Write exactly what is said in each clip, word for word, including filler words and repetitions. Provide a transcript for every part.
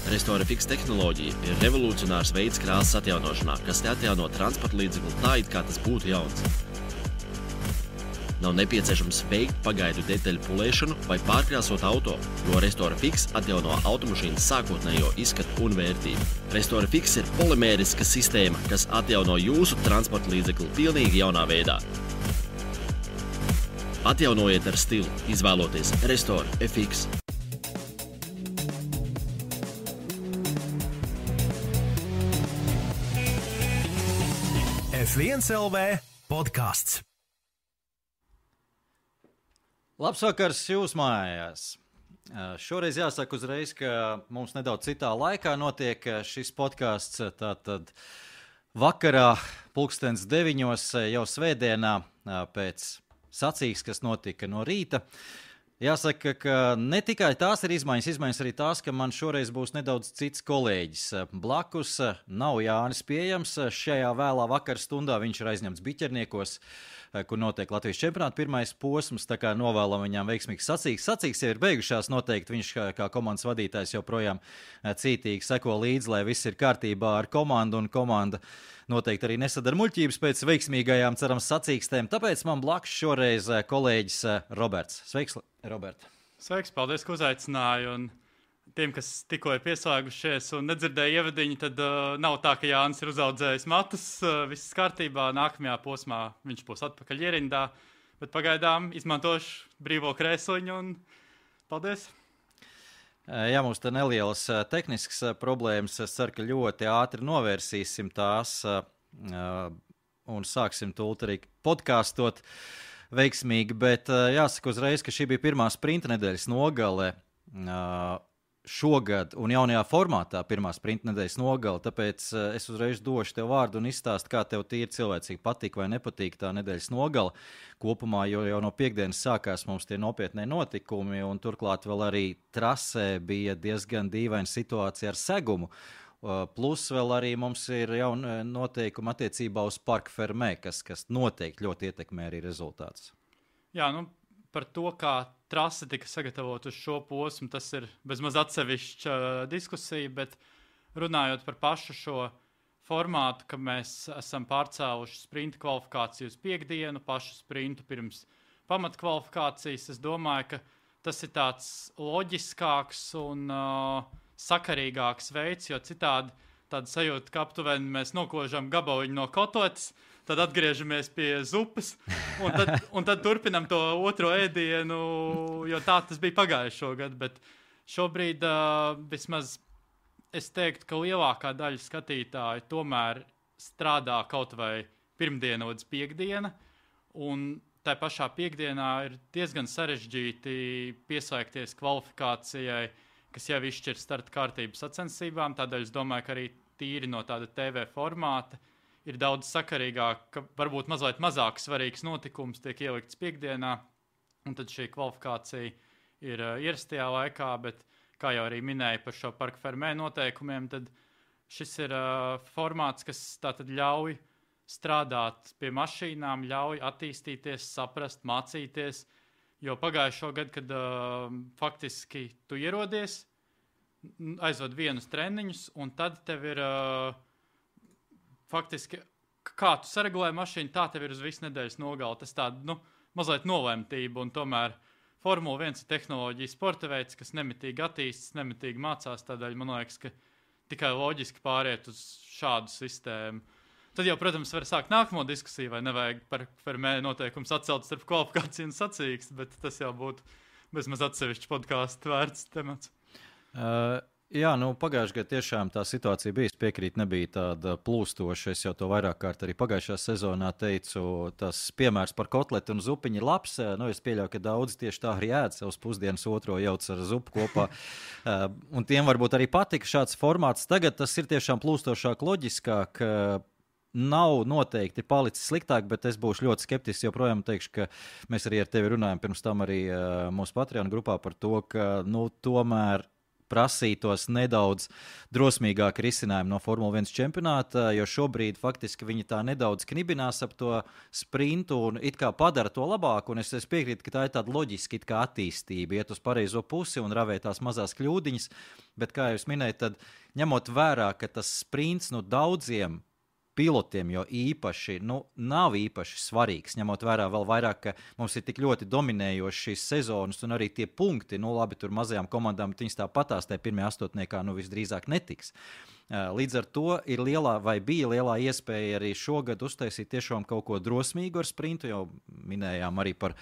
Restorafix tehnoloģija ir revolucionārs veids krāsas atjaunošanā, kas te atjauno transporta līdzekli tā, it kā tas būtu jauns. Nav nepieciešams veikt pagaidu detaļu pulēšanu vai pārkrāsot auto, jo Restorafix atjauno automašīnas sākotnējo izskatu un vērtību. Restorafix ir polimēriska sistēma, kas atjauno jūsu transporta līdzekli pilnīgi jaunā veidā. Atjaunojiet ar stilu, izvēloties Restorafix. F viens L V podcasts. Labs vakars jūs mājās. Šoreiz jāsaka uzreiz, ka mums nedaudz citā laikā notiek šis podcasts. Tātad vakarā pulkstens deviņos jau svētdienā pēc sacīks, kas notika no rīta. Jāsaka, ka ne tikai tās ir izmaiņas, izmaiņas arī tās, ka man šoreiz būs nedaudz cits kolēģis. Blakus nav Jānis pieejams. Šajā vēlā vakara stundā viņš ir aizņemts Biķerniekos, kur notiek Latvijas čempionāta pirmais posms, tā kā novēlam viņām veiksmīgs sacīks. Sacīks jau ir beigušās, noteikti viņš kā, kā komandas vadītājs joprojām cītīgi seko līdzi, lai viss ir kārtībā ar komandu, un komanda noteikti arī nesadara muļķības pēc veiksmīgajām, cerams, sacīkstēm. Tāpēc man blakus šoreiz kolēģis Roberts. Sveiks, Robert! Sveiks, paldies, ka uzaicināji. Un tiem, kas tikko ir pieslēgušies un nedzirdēja ievadiņu, tad uh, nav tā, ka Jānis ir uzaudzējis matus. Uh, viss kārtībā, nākamajā posmā viņš būs atpakaļ ierindā, bet pagaidām izmantošu brīvo krēsliņu un paldies! Jā, mums te nelielas tehniskas problēmas. Es ceru, ka ļoti ātri novērsīsim tās un sāksim tūlīt arī podkāstot veiksmīgi, bet jāsaka uzreiz, ka šī bija pirmā sprinta nedēļas nogale šogad un jaunajā formātā pirmā sprinta nedēļas nogale, tāpēc es uzreiz došu tev vārdu un izstāstu, kā tev tīri cilvēcīgi patīk vai nepatīk tā nedēļas nogale kopumā, jo jau no piekdienas sākās mums tie nopietnie notikumi un turklāt vēl arī trasē bija diezgan dīvaina situācija ar segumu. Plus vēl arī mums ir jauna noteikuma attiecībā uz Parc Fermé, kas, kas noteikti ļoti ietekmē arī rezultātus. Jā, nu par to, kā trase tika sagatavot uz šo posmu, tas ir bezmaz atsevišķa diskusija, bet runājot par pašu šo formātu, ka mēs esam pārcēluši sprinta kvalifikāciju uz piekdienu, pašu sprintu pirms pamatkvalifikācijas, es domāju, ka tas ir tāds loģiskāks un uh, sakarīgāks veids, jo citādi tāda sajūta, ka aptuveni mēs nokožam gabaliņu no kotletes, tad atgriežamies pie zupas, un tad, un tad turpinam to otro ēdienu, jo tā tas bija pagājušo gadu, bet šobrīd uh, vismaz es teiktu, ka lielākā daļa skatītāju tomēr strādā kaut vai pirmdiena līdz piekdiena, un tā pašā piekdienā ir diezgan sarežģīti pieslēgties kvalifikācijai, kas jau izšķir starta kārtības sacensībām, tādēļ es domāju, ka arī tīri no tāda T V formāta ir daudz sakarīgāk, ka varbūt mazliet mazāk svarīgs notikums tiek ielikts piekdienā, un tad šī kvalifikācija ir uh, ierastajā laikā, bet, kā jau arī minēja par šo Parc Fermé noteikumiem, tad šis ir uh, formāts, kas tātad ļauj strādāt pie mašīnām, ļauj attīstīties, saprast, mācīties, jo pagājušo gadu, kad uh, faktiski tu ierodies, aizved vienus treniņus, un tad tev ir uh, faktiski, kā tu saregulē mašīnu, tā tev ir uz visu nedēļas nogali. Tas tāda, nu, mazliet nolemtība, un tomēr Formula viens ir tehnoloģija sporta veids, kas nemitīgi attīstas, nemitīgi mācās, tādēļ man liekas, ka tikai loģiski pāriet uz šādu sistēmu. Tad jau, protams, var sākt nākamo diskusiju, vai nevajag par Fermé noteikums atcelt starp kvalifikāciju un sacīksti, bet tas jau būtu bezmaz atsevišķi podkāstu vērts temats. Uh... Jā, nu pagājušajā gadā tiešām tā situācija bija, es piekrītu, nebija tāda plūstoša, es jau to vairāk kārt arī pagājušā sezonā teicu, tas piemērs par kotleti un zupiņu ir labs, nu es pieļauju, ka daudz tieši tā arī ēd savus pusdienas otro jauc ar zupu kopā, un tiem varbūt arī patika šāds formāts, tagad tas ir tiešām plūstošāk, loģiskāk, nav noteikti palicis sliktāk, bet es būšu ļoti skeptisks, joprojām teikšu, ka mēs arī ar tevi runājam pirms tam arī mūsu Patreon grupā par to, ka, nu, tomēr prasītos nedaudz drosmīgāk risinājumu no Formula viens čempionāta, jo šobrīd faktiski viņi tā nedaudz knibinās ap to sprintu un it kā padara to labāk, un es, es piekrītu, ka tā ir tāda loģiska it kā attīstība, iet uz pareizo pusi un ravē tās mazās kļūdiņas, bet kā jūs minējat, tad ņemot vērā, ka tas sprints nu daudziem pilotiem, jo īpaši, nu, nav īpaši svarīgs, ņemot vērā vēl vairāk, ka mums ir tik ļoti dominējoši šīs sezonas un arī tie punkti, nu, labi, tur mazajām komandām, viņas tā patās, tajā pirmajā astotniekā, nu, visdrīzāk netiks. Līdz ar to ir lielā, vai bija lielā iespēja arī šogad uztaisīt tiešām kaut ko drosmīgu ar sprintu, jau minējām arī par,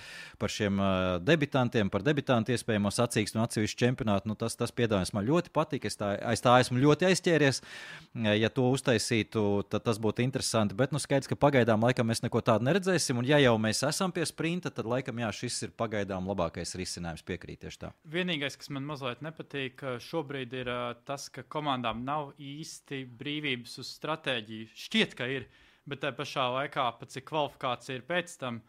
par šiem debitantiem, par debitantu iespējamo sacīkstu un atsevišķu čempionātu, nu, tas, tas piedāvājums man ļoti patīk, es tā, aiz tā esmu ļoti aizķēries, ja to uztaisītu, tad tas būtu interesanti, bet nu skaidrs, ka pagaidām laikam mēs neko tādu neredzēsim, un ja jau mēs esam pie sprinta, tad laikam jā, šis ir pagaidām labākais risinājums, piekrīt tieši tā. Vienīgais, kas man mazliet nepatīk, šobrīd ir tas, ka komandām nav īsti brīvības uz stratēģiju. Šķiet, ka ir, bet tā pašā laikā, pat cik kvalifikācija ir pēc tam,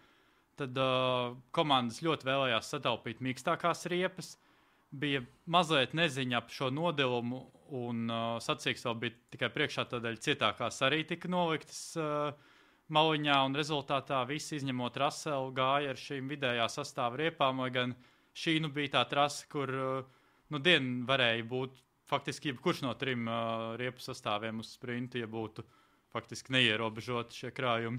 tad uh, komandas ļoti vēlējās sataupīt mīkstākās riepas, bija mazliet neziņa ap šo nodilumu, un uh, sacīks vēl bija tikai priekšā, tādēļ cietākās arī tika noliktas uh, maliņā, un rezultātā visi izņemot Russellu gāja ar šīm vidējā sastāva riepām, lai gan šī nu bija tā trasa, kur uh, nu dienu varēja būt faktiski jebkurš no trim uh, riepu sastāviem uz sprintu, ja būtu faktiski neierobežoti šie krājumi.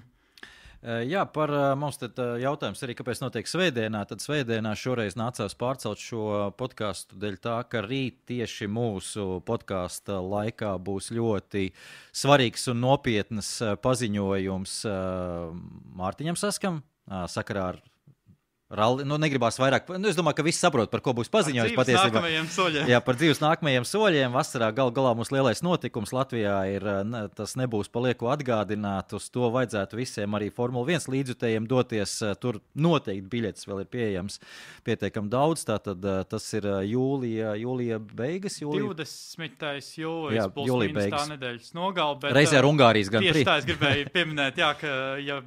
Jā, par mums tad jautājums arī, kāpēc notiek svētdienā. Tad svētdienā šoreiz nācās pārcelt šo podcastu dēļ tā, ka rīt tieši mūsu podkasta laikā būs ļoti svarīgs un nopietnas paziņojums Mārtiņam Saskam sakarā ar Ralli, nu, negribās vairāk, nu, es domāju, ka visi saprot, par ko būs paziņojums patiesībā. Jā, par dzīves nākamajiem soļiem. Vasarā gal galā mums lielais notikums Latvijā ir, ne, tas nebūs palieku atgādināt, uz to vajadzētu visiem arī Formula viens līdzjutējiem doties, tur noteikti biļetes vēl ir pieejams pietiekam daudz, tātad tas ir jūlija, jūlija beigas, jūlija. divdesmitais jūlijas, plus mīnus tā nedēļas nogal, bet reizē ar Ungārijas gan tieši tā es gribēju pieminēt, jā, ka, ja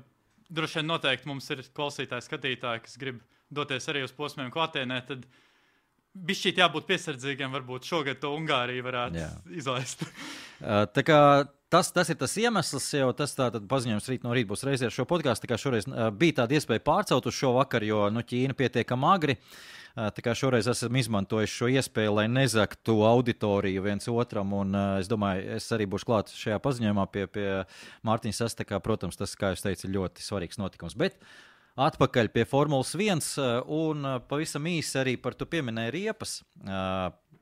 droši vien noteikti mums ir klausītāji, skatītāji, kas grib doties arī uz posmiem klātienē, tad bišķīt jābūt piesardzīgiem, varbūt šogad to Ungāriju varētu jā. izlaist. Tā kā tas, tas ir tas iemesls, jau tas tātad paziņojums rīt no rīt būs reizē ar šo podcastu, tā kā šoreiz bija tāda iespēja pārcelt uz šo vakar, jo nu, Ķīna pietiekam agri. Tā kā šoreiz esam izmantojuši šo iespēju, lai nezaktu auditoriju viens otram, un es domāju, es arī būšu klāt šajā paziņojumā pie, pie Mārtiņa Sastakā. Protams, tas, kā jūs teicat, ir ļoti svarīgs notikums. Bet atpakaļ pie Formulas viens, un pavisam īsi arī par tu pieminēji riepas.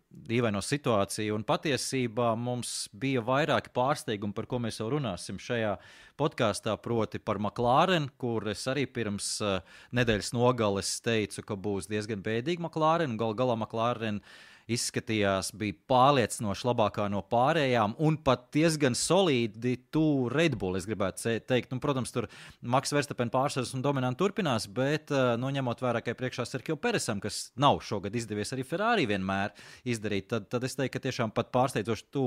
Dīvaino situāciju, un patiesībā mums bija vairāki pārsteigumi, par ko mēs jau runāsim šajā podkāstā, proti par McLaren, kur es arī pirms uh, nedēļas nogales teicu, ka būs diezgan bēdīgi McLaren, gal galā McLaren izskatījās, bija pārliecinoši labākā no pārējām un pat diezgan solīdi tu Red Bull, es gribētu teikt. Nu, protams, tur Max Verstappen pārsvars un dominanti turpinās, bet, nu, ņemot vērā, ka priekšā Sergio Peresam, kas nav šogad izdevies arī Ferrari vienmēr izdarīt, tad, tad es teiktu, ka tiešām pat pārsteidzoši tu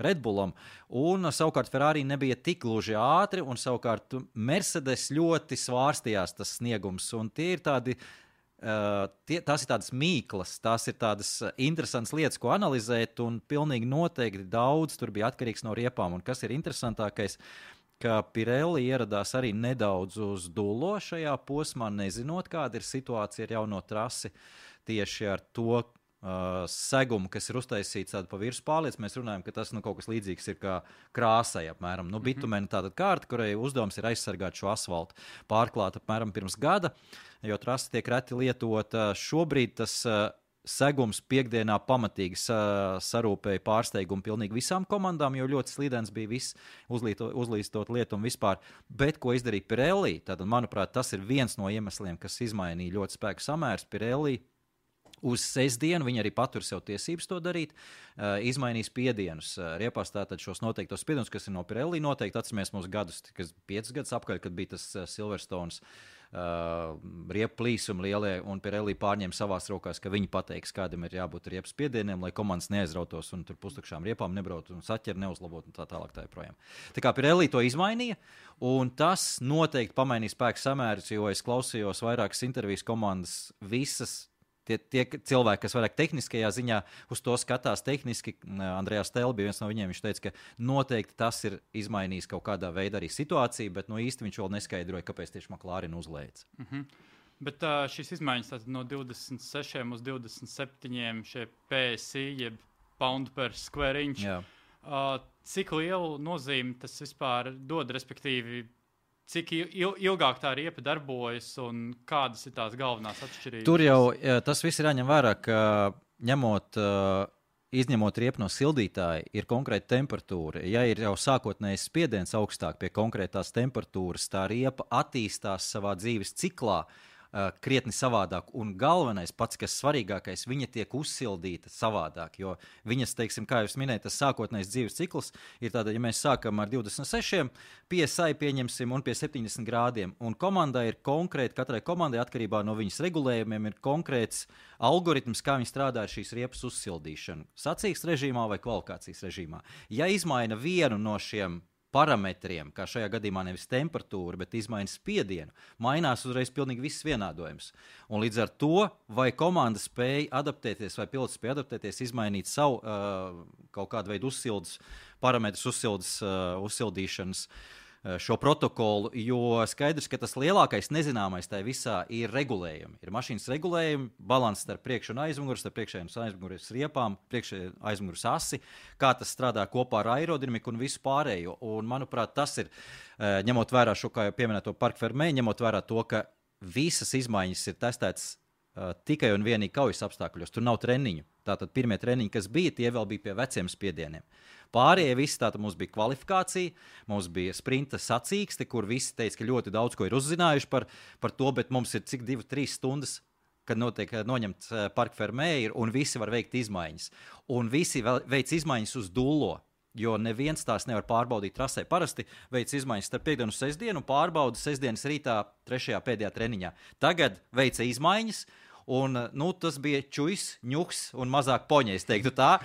Red Bullam. Un savukārt Ferrari nebija tik gluži ātri, un savukārt Mercedes ļoti svārstījās tas sniegums, un tie ir tādi Uh, tie, tās ir tādas mīklas, tās ir tādas interesantas lietas, ko analizēt, un pilnīgi noteikti daudz tur bija atkarīgs no riepām. Un kas ir interesantākais, ka Pirelli ieradās arī nedaudz uz dullo šajā posmā, nezinot, kāda ir situācija ar jauno trasi tieši ar to uh, segumu, kas ir uztaisīts tādu pa virsmu pārliec. Mēs runājam, ka tas nu, kaut kas līdzīgs ir kā krāsai apmēram. Nu, bitumena tāda kārta, kurai uzdevums ir aizsargāt šo asfaltu, pārklāt apmēram pirms gada, jo trasa tiek reti lietota. Šobrīd tas uh, segums piekdienā pamatīgi uh, sarūpēja pārsteigumu pilnīgi visām komandām, jo ļoti slīdens bija viss uzlīto, uzlīstot lietu un vispār. Bet ko izdarīja Pirelli? Tātad, manuprāt, tas ir viens no iemesliem, kas izmainīja ļoti spēku samērs. Pirelli uz sestdienu, viņi arī patur sev tiesības to darīt, uh, izmainīs spiedienus. Uh, riepās tātad šos noteiktos spiedienus, kas ir no Pirelli noteikti. Atceramies mūsu gadus, kas piecus gadus apkaļ, kad bija tas uh, Silverstones Uh, riepu plīsumi lielie, un Pirelli pārņem savās rokās, ka viņi pateiks, kādam ir jābūt riepu spiedieniem, lai komandas neaizrautos un tur pustukšām riepām nebrautu un saķeri neuzlabot un tā tālāk tā joprojām. Tā kā Pirelli to izmainīja, un tas noteikti pamainīja spēku samērus, jo es klausījos vairākas intervijas komandas, visas Tie, tie cilvēki, kas vairāk tehniskajā ziņā uz to skatās tehniski, Andrejs Stēl bija viens no viņiem, viņš teica, ka noteikti tas ir izmainījis kaut kādā veidā arī situāciju, bet no īsti viņš vēl neskaidroja, kāpēc tieši McLaren uzlēca. Mm-hmm. Bet uh, šīs izmaiņas tātad no divdesmit sešiem uz divdesmit septiņiem šie P S I, jeb pound per square inch, uh, cik lielu nozīmi tas vispār dod, respektīvi, cik il- ilgāk tā riepa darbojas un kādas ir tās galvenās atšķirības? Tur jau tas viss ir jāņem vērā, ka ņemot, izņemot riepu no sildītāja, ir konkrēta temperatūra. Ja ir jau sākotnējs spiediens augstāk pie konkrētās temperatūras, tā riepa attīstās savā dzīves ciklā krietni savādāk. Un galvenais, pats, kas svarīgākais, viņa tiek uzsildīta savādāk. Jo viņas, teiksim, kā jūs minējat, tas sākotnējs dzīves cikls ir tāda, ja mēs sākam ar divdesmit sešiem, P S I pieņemsim un pie septiņdesmit grādiem. Un komandai ir konkrēti, katrai komandai atkarībā no viņas regulējumiem ir konkrēts algoritms, kā viņi strādā ar šīs riepas uzsildīšanu. Sacīksts režīmā vai kvalifikācijas režīmā. Ja izmaina vienu no šiem parametriem, kā šajā gadījumā nevis temperatūra, bet izmaina spiedienu, mainās uzreiz pilnīgi viss vienādojums. Un līdz ar to, vai komanda spēja adaptēties, vai pilots spēja adaptēties, izmainīt savu uh, kaut kādu veidu uzsildes parametrus, uzsildes, uh, uzsildīšanas uh, šo protokolu, jo skaidrs, ka tas lielākais nezināmais tajā visā ir regulējumi. Ir mašīnas regulējumi, balans starp priekšu un aizmugurs, starp priekšējiem un aizmugures riepām, priekšējiem aizmugures asi, kā tas strādā kopā ar aerodinamiku un visu pārējo. Un, manuprāt, tas ir, ņemot vērā šo, kā jau pieminēto Parc Fermé, ņemot vērā to, ka visas izmaiņas ir testētas uh, tikai un vienīgi kaujas apstākļos. Tur nav treniņu. Tātad pirmie treniņi, kas bija, tie vēl bija pie veciem spiedieniem. Pārējie visi, tātad mums bija kvalifikācija, mums bija sprinta sacīksti, kur visi teica, ka ļoti daudz ko ir uzzinājuši par, par to, bet mums ir cik divi, trīs stundas, kad notiek noņemts Parc Fermé, un visi var veikt izmaiņas. Un visi veic izmaiņas uz dullo, jo neviens tās nevar pārbaudīt trasē. Parasti veic izmaiņas starp piekdienu un sestdienu, un pārbauda sestdienas rītā trešajā pēdējā treniņā. Tagad veica izmaiņas, un nu, tas bija čujs, ņuks un mazāk poņa, es teiktu tā,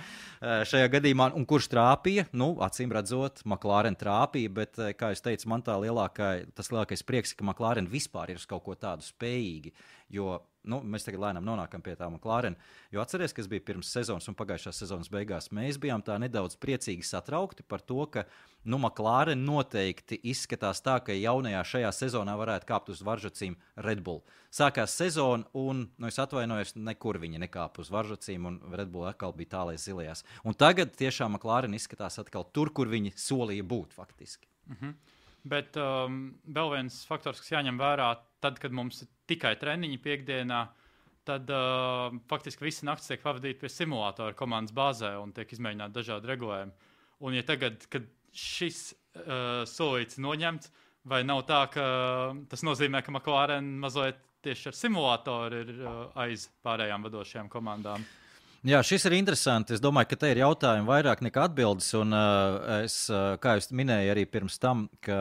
šajā gadījumā. Un kurš trāpīja? Nu, acīm redzot, McLaren trāpīja, bet, kā es teicu, man tā lielākā, tas lielākais prieks, ka McLaren vispār ir uz kaut ko tādu spējīgi, jo nu, mēs tagad lēnām nonākam pie tā McLaren, jo atceries, kas bija pirms sezonas un pagājušās sezonas beigās, mēs bijām tā nedaudz priecīgi satraukti par to, ka nu, McLaren noteikti izskatās tā, ka jaunajā šajā sezonā varētu kāpt uz varžacīm Red Bull. Sākās sezona un, nu, es atvainojos, nekur viņi nekāpa uz varžacīm un Red Bull atkal bija tālais zilajās. Un tagad tiešām McLaren izskatās atkal tur, kur viņi solīja būt faktiski. Mhm. Bet um, vēl viens faktors, kas jāņem vērā, tad, kad mums ir tikai treniņi piekdienā, tad uh, faktiski visi naktis tiek pavadīti pie simulātora komandas bāzē un tiek izmēģināti dažādi regulējumi. Un ja tagad, kad šis uh, solīts noņemts, vai nav tā, ka tas nozīmē, ka McLaren mazliet tieši ar simulātoru ir uh, aiz pārējām vadošajām komandām? Jā, šis ir interesanti. Es domāju, ka te ir jautājumi vairāk nekā atbildes. Un, uh, es, uh, kā jūs minēju arī pirms tam, ka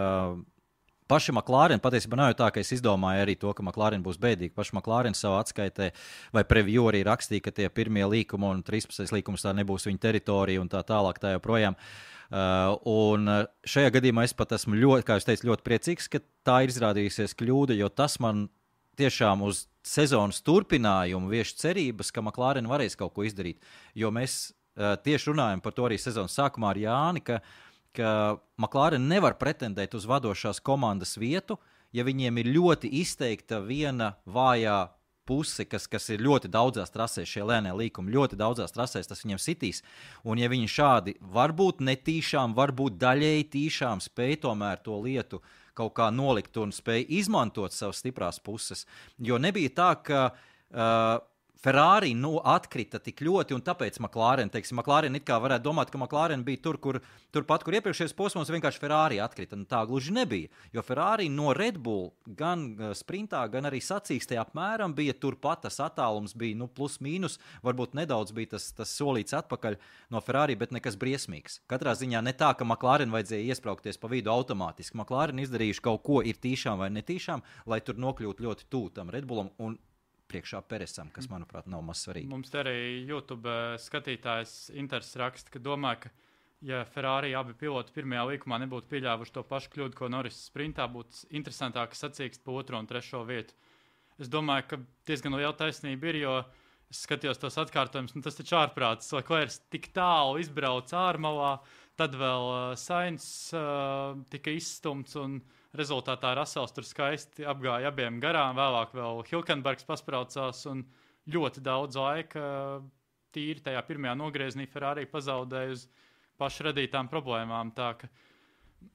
paši McLaren, patiesībā nav jau tā, ka es izdomāju arī to, ka McLaren būs bēdīgi. Paši McLaren savā atskaitē vai preview arī rakstīja, ka tie pirmie līkumi un trīspadsmitais līkums tā nebūs viņa teritorija un tā tālāk tā joprojām. Uh, un šajā gadījumā es pat esmu ļoti, kā jūs teicu, ļoti priecīgs, ka tā ir izrādījusies kļūda, jo tas man tiešām uz sezonas turpinājumu vieš cerības, ka McLaren varēs kaut ko izdarīt. Jo mēs uh, tieši runājam par to arī sezonas sākumā ar Jāni, ka, ka McLaren nevar pretendēt uz vadošās komandas vietu, ja viņiem ir ļoti izteikta viena vājā puse, kas, kas ir ļoti daudzās trasēs, šie lēnie līkumi, ļoti daudzās trasēs, tas viņiem sitīs. Un ja viņi šādi varbūt netīšām, varbūt daļēji tīšām spēj tomēr to lietu kaut kā nolikt un spēj izmantot savas stiprās puses. Jo nebija tā, ka uh, Ferrari nu, atkrita tik ļoti, un tāpēc McLaren, teiksim, McLaren it kā varētu domāt, ka McLaren bija tur, kur, turpat, kur iepriekšējais posmos vienkārši Ferrari atkrita. Un tā gluži nebija, jo Ferrari no Red Bull gan sprintā, gan arī sacīkstē apmēram bija turpat, tas attālums bija nu, plus mīnus, varbūt nedaudz bija tas, tas solīts atpakaļ no Ferrari, bet nekas briesmīgs. Katrā ziņā ne tā, ka McLaren vajadzēja iespraukties pa vidu automātiski. McLaren izdarījuši kaut ko ir tīšām vai netīšām, lai tur nokļūtu ļoti tū tam Red Bullam un priekšā Peresam, kas, manuprāt, nav maz svarīgi. Mums te arī YouTube skatītājs Inters raksta, ka domā, ka ja Ferrari abi piloti pirmajā līkumā nebūtu pieļāvuši to pašu kļūdu, ko Norris sprintā, būtu interesantāk sacīkst pa otro un trešo vietu. Es domāju, ka diezgan liela taisnība ir, jo Es skatījos tos atkārtojumus, un tas taču ārprāts. Leclerc tik tālu izbrauc ārmalā, tad vēl uh, Sainz uh, tika izstumts, un rezultātā Russells tur skaisti apgāja abiem garām. Vēlāk vēl Hülkenbergs paspraucās, un ļoti daudz laika uh, tīri tajā pirmajā nogriezienī Ferrari pazaudēja uz pašu radītām problēmām. Tā ka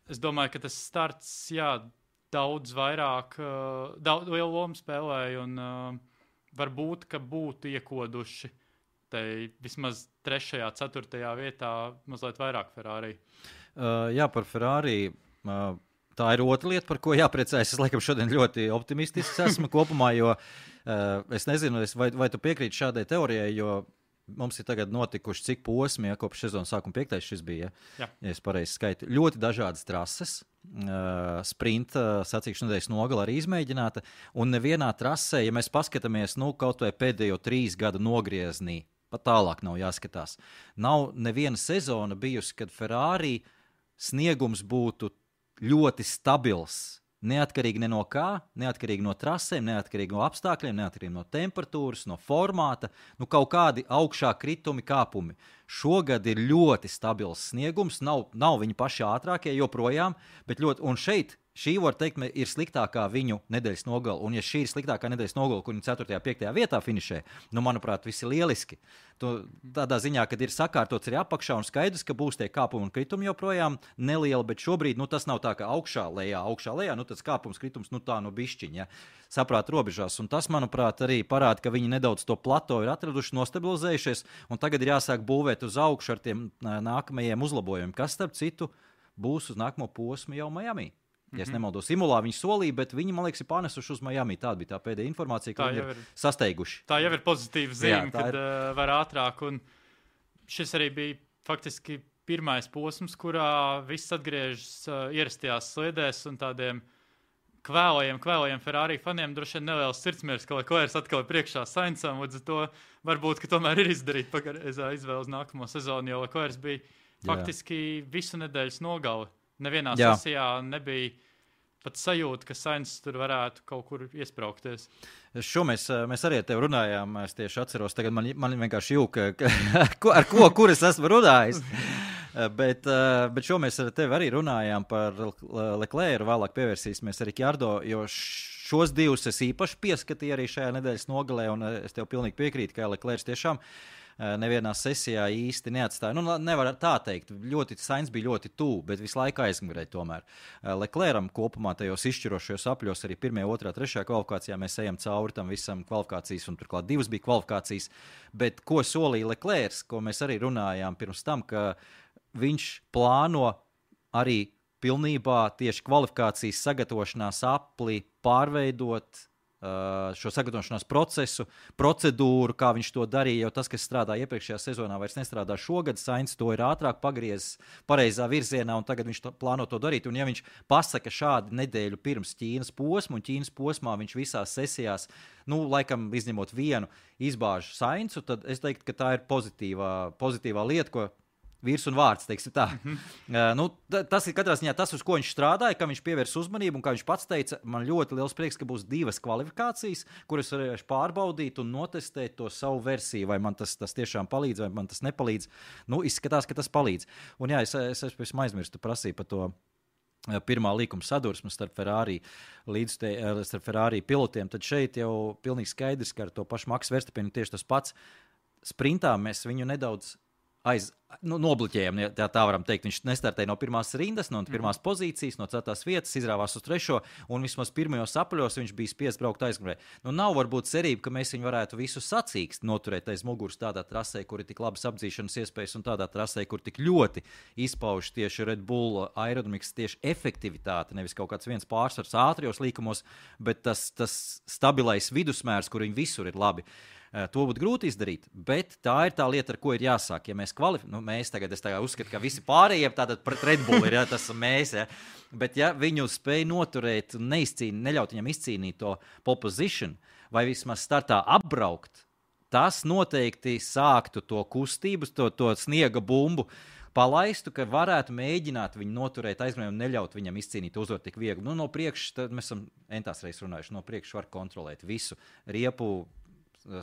es domāju, ka tas starts, jā, daudz vairāk, uh, daudz lielu lomu spēlēja, un uh, varbūt, ka būtu iekoduši te vismaz trešajā, ceturtajā vietā mazliet vairāk Ferrari. Uh, jā, par Ferrari. Uh, tā ir otra lieta, par ko jāpriecājas. Es laikam šodien ļoti optimistisks esmu kopumā, jo uh, es nezinu, es, vai, vai tu piekrīti šādai teorijai, jo mums ir tagad notikuši cik posmi, ja kopš sezonas sākuma piektais šis bija, ja, ja es pareizi skaitu. Ļoti dažādas trases, uh, sprinta sacīkšu nedēļas nogala arī izmēģināta, un nevienā trasē, ja mēs paskatāmies, nu, kaut vai pēdējo trīs gadu nogrieznī, pat tālāk nav jāskatās. Nav neviena sezona bijusi, kad Ferrari sniegums būtu ļoti stabils. Neatkarīgi ne no kā, neatkarīgi no trasēm, neatkarīgi no apstākļiem, neatkarīgi no temperatūras, no formāta, nu kaut kādi augšā kritumi, kāpumi. Šogad ir ļoti stabils sniegums, nav, nav viņi paši ātrākie joprojām, bet ļoti, un šeit šī, var teikt, ir sliktākā viņu nedēļas nogala, un ja šī ir sliktākā nedēļas nogala, kur viņi ceturtajā, piektajā vietā finišē, nu, manuprāt, viss ir lieliski. Tu, tādā ziņā, kad ir sakārtots arī apakšā un skaidrs, ka būs tie kāpumi un kritumi joprojām nelieli, bet šobrīd, nu, tas nav tā, ka augšā, lejā, augšā, lejā, nu, tas kāpums, kritums, nu, tā, nu, bišķiņ, ja, saprāt robežās, un tas, manuprāt, arī parāda, ka viņi nedaudz to plato ir atraduši, nostabilizējušies, un tagad ir jāsāk būvēt uz augšu ar tiem nākamajiem uzlabojumiem, kas, starp citu, būs uz nākamo posmu jau Miami. Ja es nemaldos, Imolā viņi solīja, bet viņi, man liekas, ir pārnesuši uz Miami. Tāda bija tā pēdējā informācija, ka tā viņi ir, ir sasteiguši. Tā jau ir pozitīva zīme, Jā, kad ir... uh, var ātrāk. Un šis arī bija faktiski pirmais posms, kurā viss atgriežas uh, ierastajās sliedēs un tādiem kvēlajiem, kvēlajiem Ferrari faniem droši vien neliels sirdsmiers, ka Leclerc atkal ir priekšā Sainzam, līdz ar to varbūt, ka tomēr ir izdarīt pareizā izvēle uz nākamo sezonu, jo Leclerc bija faktiski Jā. visu nedēļas nogali. Nevienā Jā. sesijā nebija pat sajūta, ka Sainz tur varētu kaut kur iespraukties. Šo mēs, mēs arī ar tevi runājām, es tieši atceros, tagad man, man vienkārši jūka, ar ko, kur es esmu runājis. bet, bet šo mēs ar tevi arī runājām par Leclercu, vēlāk pievērsīsimies arī Ricciardo, jo šos divus es īpaši pieskatīju arī šajā nedēļas nogalē, un es tev pilnīgi piekrītu, ka Leclercs tiešām nevienā sesijā īsti neatstāja. Nu, nevar tā teikt, ļoti, Sainz bija ļoti tuvu, bet visu laiku aizmugurēja tomēr. Leclercam kopumā tajos izšķirošajos apļos arī pirmajā, otrā, trešajā kvalifikācijā mēs ejam cauri tam visam kvalifikācijas, un turklāt divas bija kvalifikācijas, bet ko solīja Leclerc, ko mēs arī runājām pirms tam, ka viņš plāno arī pilnībā tieši kvalifikācijas sagatavošanās apli pārveidot šo sagatavošanās procesu, procedūru, kā viņš to darīja, jo tas, kas strādā iepriekšējā sezonā, vairs nestrādā šogad. Sainz to ir ātrāk pagriezis pareizā virzienā, un tagad viņš to, plāno to darīt. Un ja viņš pasaka šādi nedēļu pirms Ķīnas posmu, un Ķīnas posmā viņš visās sesijās, nu, laikam izņemot vienu, izbāž Sainzu, tad es teiktu, ka tā ir pozitīvā, pozitīvā lieta, ko vīrs un vārds, teiksim tā. Mm-hmm. Uh, nu, tas ir katrā ziņā tas, uz ko viņš strādāja, ka viņš pievērs uzmanību, un kā viņš pats teica, man ļoti liels prieks, ka būs divas kvalifikācijas, kuras varēšu pārbaudīt un notestēt to savu versiju, vai man tas, tas tiešām palīdz, vai man tas nepalīdz. Nu, izskatās, ka tas palīdz. Un jā, es, es, es, es aizmirstu prasīju par to pirmā līkuma sadursme starp Ferrari, līdz te, starp Ferrari pilotiem, tad šeit jau pilnīgi skaidrs, ka ar to pašu Maksu Verstappenu tieši tas pats. Sprintā mēs viņu nedaudz aiz, nu, nobloķējam, tā, tā varam teikt. Viņš nestartēja no pirmās rindas, no pirmās mm. pozīcijas, no ceturtās vietas, izrāvās uz trešo, un vismaz pirmajos apļos viņš bija spiests braukt aizmugurē. Nu, nav varbūt cerība, ka mēs viņu varētu visu sacīkst noturēt aiz muguras tādā trasē, kur ir tik labas apdzīšanas iespējas, un tādā trasē, kur tik ļoti izpauž tieši Red Bull aerodinamikas tieši efektivitāte, nevis kaut kāds viens pārsvars ātrijos līkumos, bet tas, tas stabilais vidusmērs, kur viņi visur ir labi. To būtu grūti izdarīt, bet tā ir tā lieta, ar ko ir jāsāk. Ja mēs kvalificējam, nu, mēs tagad, es tagad uzskatu, ka visi pārējie tātad pret Red Bull ir, ja, tas mēs, ja. Bet ja viņu spēj noturēt un neizcīnīt, neļaut viņam izcīnīt to pole position, vai vismaz startā apbraukt, tas noteikti sāktu to kustību, to, to sniega bumbu, palaistu, ka varētu mēģināt viņu noturēt aizmugurē un neļaut viņam izcīnīt uzvaru tik viegli. Nu, no priekš, tad mēs esam entās reizes runājuši, no priekš var kontrolēt visu riepu,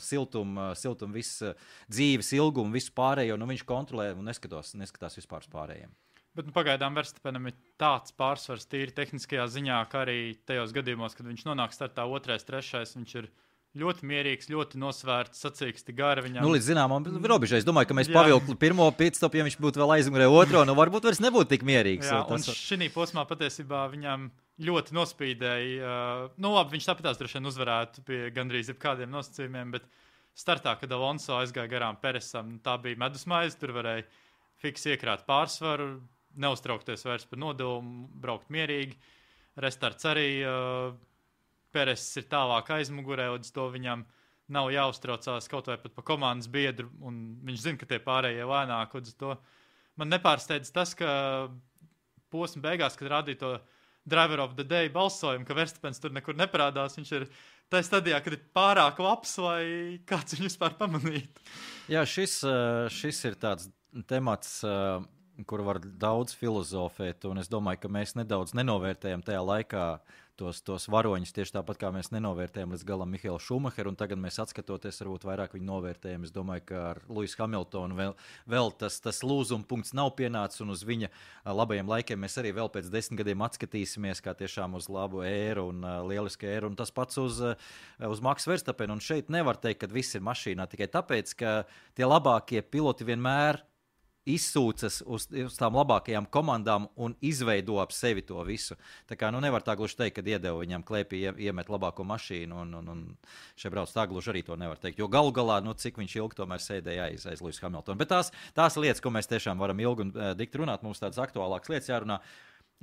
siltumu, siltum, visu dzīves ilgumu, visu pārējo, nu viņš kontrolē un neskatās, neskatās vispār uz pārējiem. Bet nu, pagaidām Verstappenam ir tāds pārsvars tīri tehniskajā ziņā, ka arī tajos gadījumos, kad viņš nonāk startā otrais, trešais, viņš ir ļoti mierīgs, ļoti nosvērts, sacīksti gari viņam. Nu, līdz zināmam robežai. Es domāju, ka mēs pavilktu pirmo pitstopu, ja viņš būtu vēl aizmugurē otro, nu varbūt vairs nebūtu tik mierīgs. Jā, tas... un šī posmā patiesībā viņam ļoti nospīdēja. Uh, nu labi, viņš tāpatās droši vien uzvarētu pie gandrīz jebkādiem nosacījumiem, bet startā, kad Alonso aizgāja garām Peresam, tā bija medusmaize, tur varēja fiks iekrāt pārsvaru, neuztraukties vairs par nodevumu, braukt mierīgi. Restarts arī uh, Peres ir tālāk aizmugurē, līdz to viņam nav jāuztraucās kaut vai pat pa komandas biedru, un viņš zina, ka tie pārējie lēnāk, līdz to man nepārsteidz tas, ka posma beigās, kad rādīja to Driver of the Day balsojumu, ka Verstappens tur nekur neparādās, viņš ir tā stadijā, kad ir pārāk labs, lai kāds viņu vispār pamanītu. Jā, šis, šis ir tāds temats, kur var daudz filozofēt, un es domāju, ka mēs nedaudz nenovērtējam tajā laikā tos, tos varoņus, tieši tāpat kā mēs nenovērtējam līdz galam Mihaelu Šumacheru, un tagad mēs atskatoties, varbūt vairāk viņu novērtējam. Es domāju, ka ar Lewisu Hamiltonu vēl, vēl tas, tas lūzuma punkts nav pienācis, un uz viņa labajiem laikiem mēs arī vēl pēc desmit gadiem atskatīsimies, kā tiešām uz labu ēru un uh, lielisku ēru, un tas pats uz, uh, uz Maksu Verstappenu, un šeit nevar teikt, ka viss ir mašīnā tikai tāpēc, ka tie labākie piloti vienmēr izsūcas uz, uz tām labākajām komandām un izveido ap sevi to visu. Tā kā nu nevar tā gluži teikt, kad iedeva viņam klēpī iemet labāko mašīnu, un, un, un šeit brauc tā gluži arī to nevar teikt. Jo galu galā, nu cik viņš ilgi tomēr sēdēja aiz, aiz Lewisa Hamiltona. Bet tās, tās lietas, ko mēs tiešām varam ilgi un uh, dikti runāt, mums tādas aktuālākas lietas jārunā.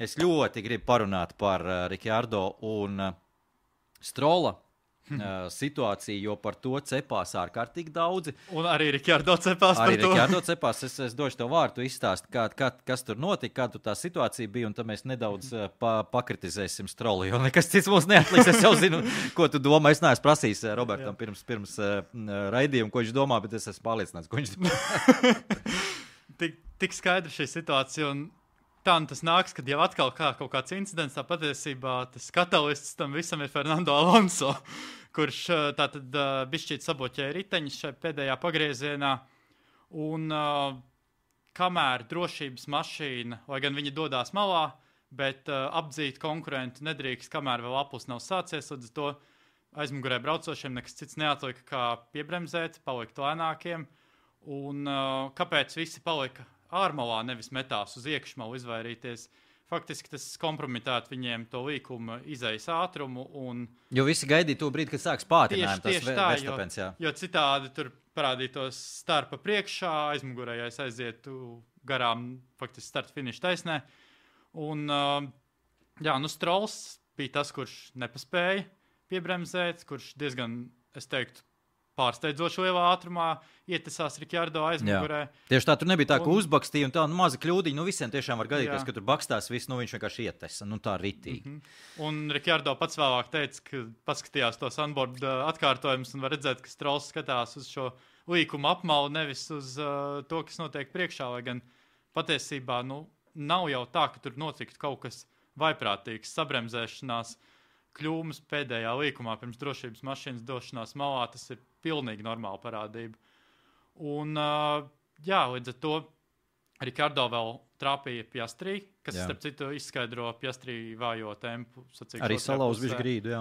Es ļoti gribu parunāt par uh, Ricciardo un uh, Strola Uh, situāciju, jo par to cepās ārkārtīgi daudzi. Un arī Ricciardo cepās arī par to. Arī Ricciardo cepās. Es, es došu tev vārdu, izstāst, kā, kā, kas tur notika, kāda tā situācija bija, un tad mēs nedaudz uh, pa, pakritizēsim Strolu, jo nekas cits mums neatliks. Es jau zinu, ko tu domā. Es neesmu prasījis uh, Robertam Jā. pirms, pirms uh, raidījumu, ko viņš domā, bet es esmu pārliecināts, ko viņš domā. tik, tik skaidra šī situācija, un tā tas nāks, kad jau atkal kā kaut kāds incidents, tā patiesībā tas katalists tam visam ir Fernando Alonso, kurš tātad uh, bišķīt saboķēja riteņus šai pēdējā pagriezienā, un uh, kamēr drošības mašīna, lai gan viņi dodās malā, bet uh, apdzīt konkurentu nedrīkst, kamēr vēl aplis nav sācies, līdz to aizmugurē braucošiem nekas cits neatlika kā piebremzēt, palikt lēnākiem, un uh, kāpēc visi palika ārmalā, nevis metās uz iekšmalu izvairīties. Faktiski tas kompromitētu viņiem to līkuma izejas ātrumu. Un jo visi gaidīja to brīdi, kad sāks pātrinājumi. Tieši, tieši tā, Verstappens, jo, jo citādi tur parādītos starpa priekšā, aizmugurējais aizietu garām faktiski start finiša taisnē. Un jā, nu Strols bija tas, kurš nepaspēja piebremzēt, kurš diezgan, es teiktu, pārsteidzoši lielā ātrumā ietesās Ricciardo aizmugurē. Jā. Tieši tā, tur nebija tā, ka un... uzbakstīja un tā, nu maza kļūdiņa, nu visiem tiešām var gadīties, ka tur bakstās viss, nu viņš vienkārši ietesa, nu tā ritīgi. Mm-hmm. Un Ricciardo pats vēlāk teica, ka paskatījās tos onboard uh, atkārtojumus un var redzēt, ka Strolls skatās uz šo līkumu apmalu, nevis uz uh, to, kas notiek priekšā, lai gan patiesībā, nu, nav jau tā, ka tur notiktu kaut kas vaiprātīgs, sabremzēšanās, kļūmas pēdējā līkumā pirms drošības mašīnas došanās malā, tas ir pilnīgi normāla parādība. Un, uh, jā, līdz ar to Ricciardo vēl trāpīja Piastrī, kas, jā. starp citu, izskaidro Piastrī vājo tempu. Arī salauz bišķi grīdu, jā.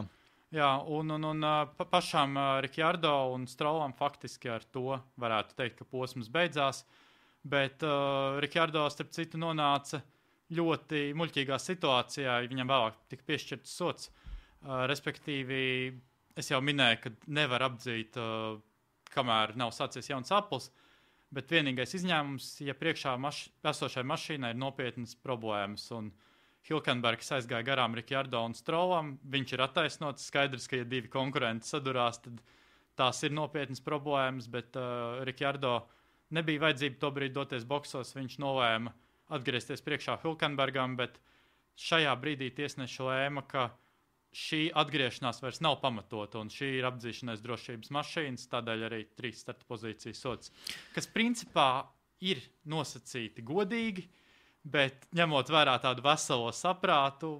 Jā, un, un, un pa, pašām uh, Ricciardo un Strollam faktiski ar to varētu teikt, ka posms beidzās, bet uh, Ricciardo, starp citu, nonāca ļoti muļķīgā situācijā, viņam vēlāk tika piešķirts sots. Uh, respektīvi, es jau minēju, ka nevar apdzīt, uh, kamēr nav sācies jauns aplis, bet vienīgais izņēmums, ja priekšā maš- esošai mašīnai ir nopietnas problēmas, un Hülkenbergs aizgāja garām Ricciardo un Strollam, viņš ir attaisnots, skaidrs, ka ja divi konkurenti sadurās, tad tās ir nopietnas problēmas, bet uh, Ricciardo nebija vajadzība to brīdi doties boksos, viņš nolēma atgriezties priekšā Hülkenbergam, bet šajā brīdī tiesneši lēma, ka šī atgriešanās vairs nav pamatota, un šī ir apdzīšanās drošības mašīnas, tādēļ arī trīs starta pozīcijas sots, kas principā ir nosacīti godīgi, bet ņemot vērā tādu veselo saprātu,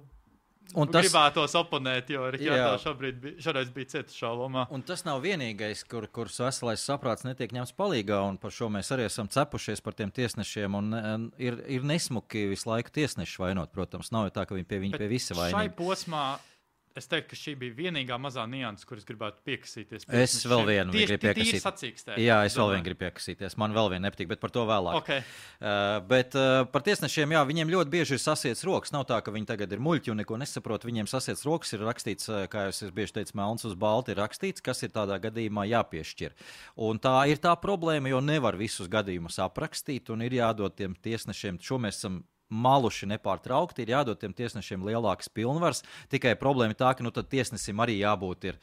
un tas... gribētos oponēt, jo Rikardo šobrīd bija, šoreiz bija cita šaubamā. Un tas nav vienīgais, kur, kur veselais saprāts netiek ņemts palīgā, un par šo mēs arī esam cepušies par tiem tiesnešiem, un, un ir, ir nesmuki visu laiku tiesneši vainot, protams, nav jau tā, ka viņi pie, viņi pie visa vainīgi. Šai posmā es teiktu, ka šī bija vienīgā mazā nianses, kuras gribētu piekasīties. Es vēl vienu gribu piekasīt. Tīri sacīkstēt. Jā, es vēl vienu gribu piekasīties. Man vēl vienu nepatīk, bet par to vēlāk. Okay. Uh, bet uh, par tiesnešiem, jā, viņiem ļoti bieži ir sasiets rokas. Nav tā, ka viņi tagad ir muļķi un neko nesaprot. Viņiem sasiets rokas ir rakstīts, kā jau es bieži teicu, melns uz balti ir rakstīts, kas ir tādā gadījumā jāpiešķir. Un tā ir tā problēma, jo nevar visus gadījumus aprakstīt un ir jādod tiem tiesnešiem. Šo mēs esam maluši nepārtraukti, ir jādod tiem tiesnešiem lielākas pilnvaras. Tikai problēma tā, ka nu, tad tiesnesim arī jābūt ir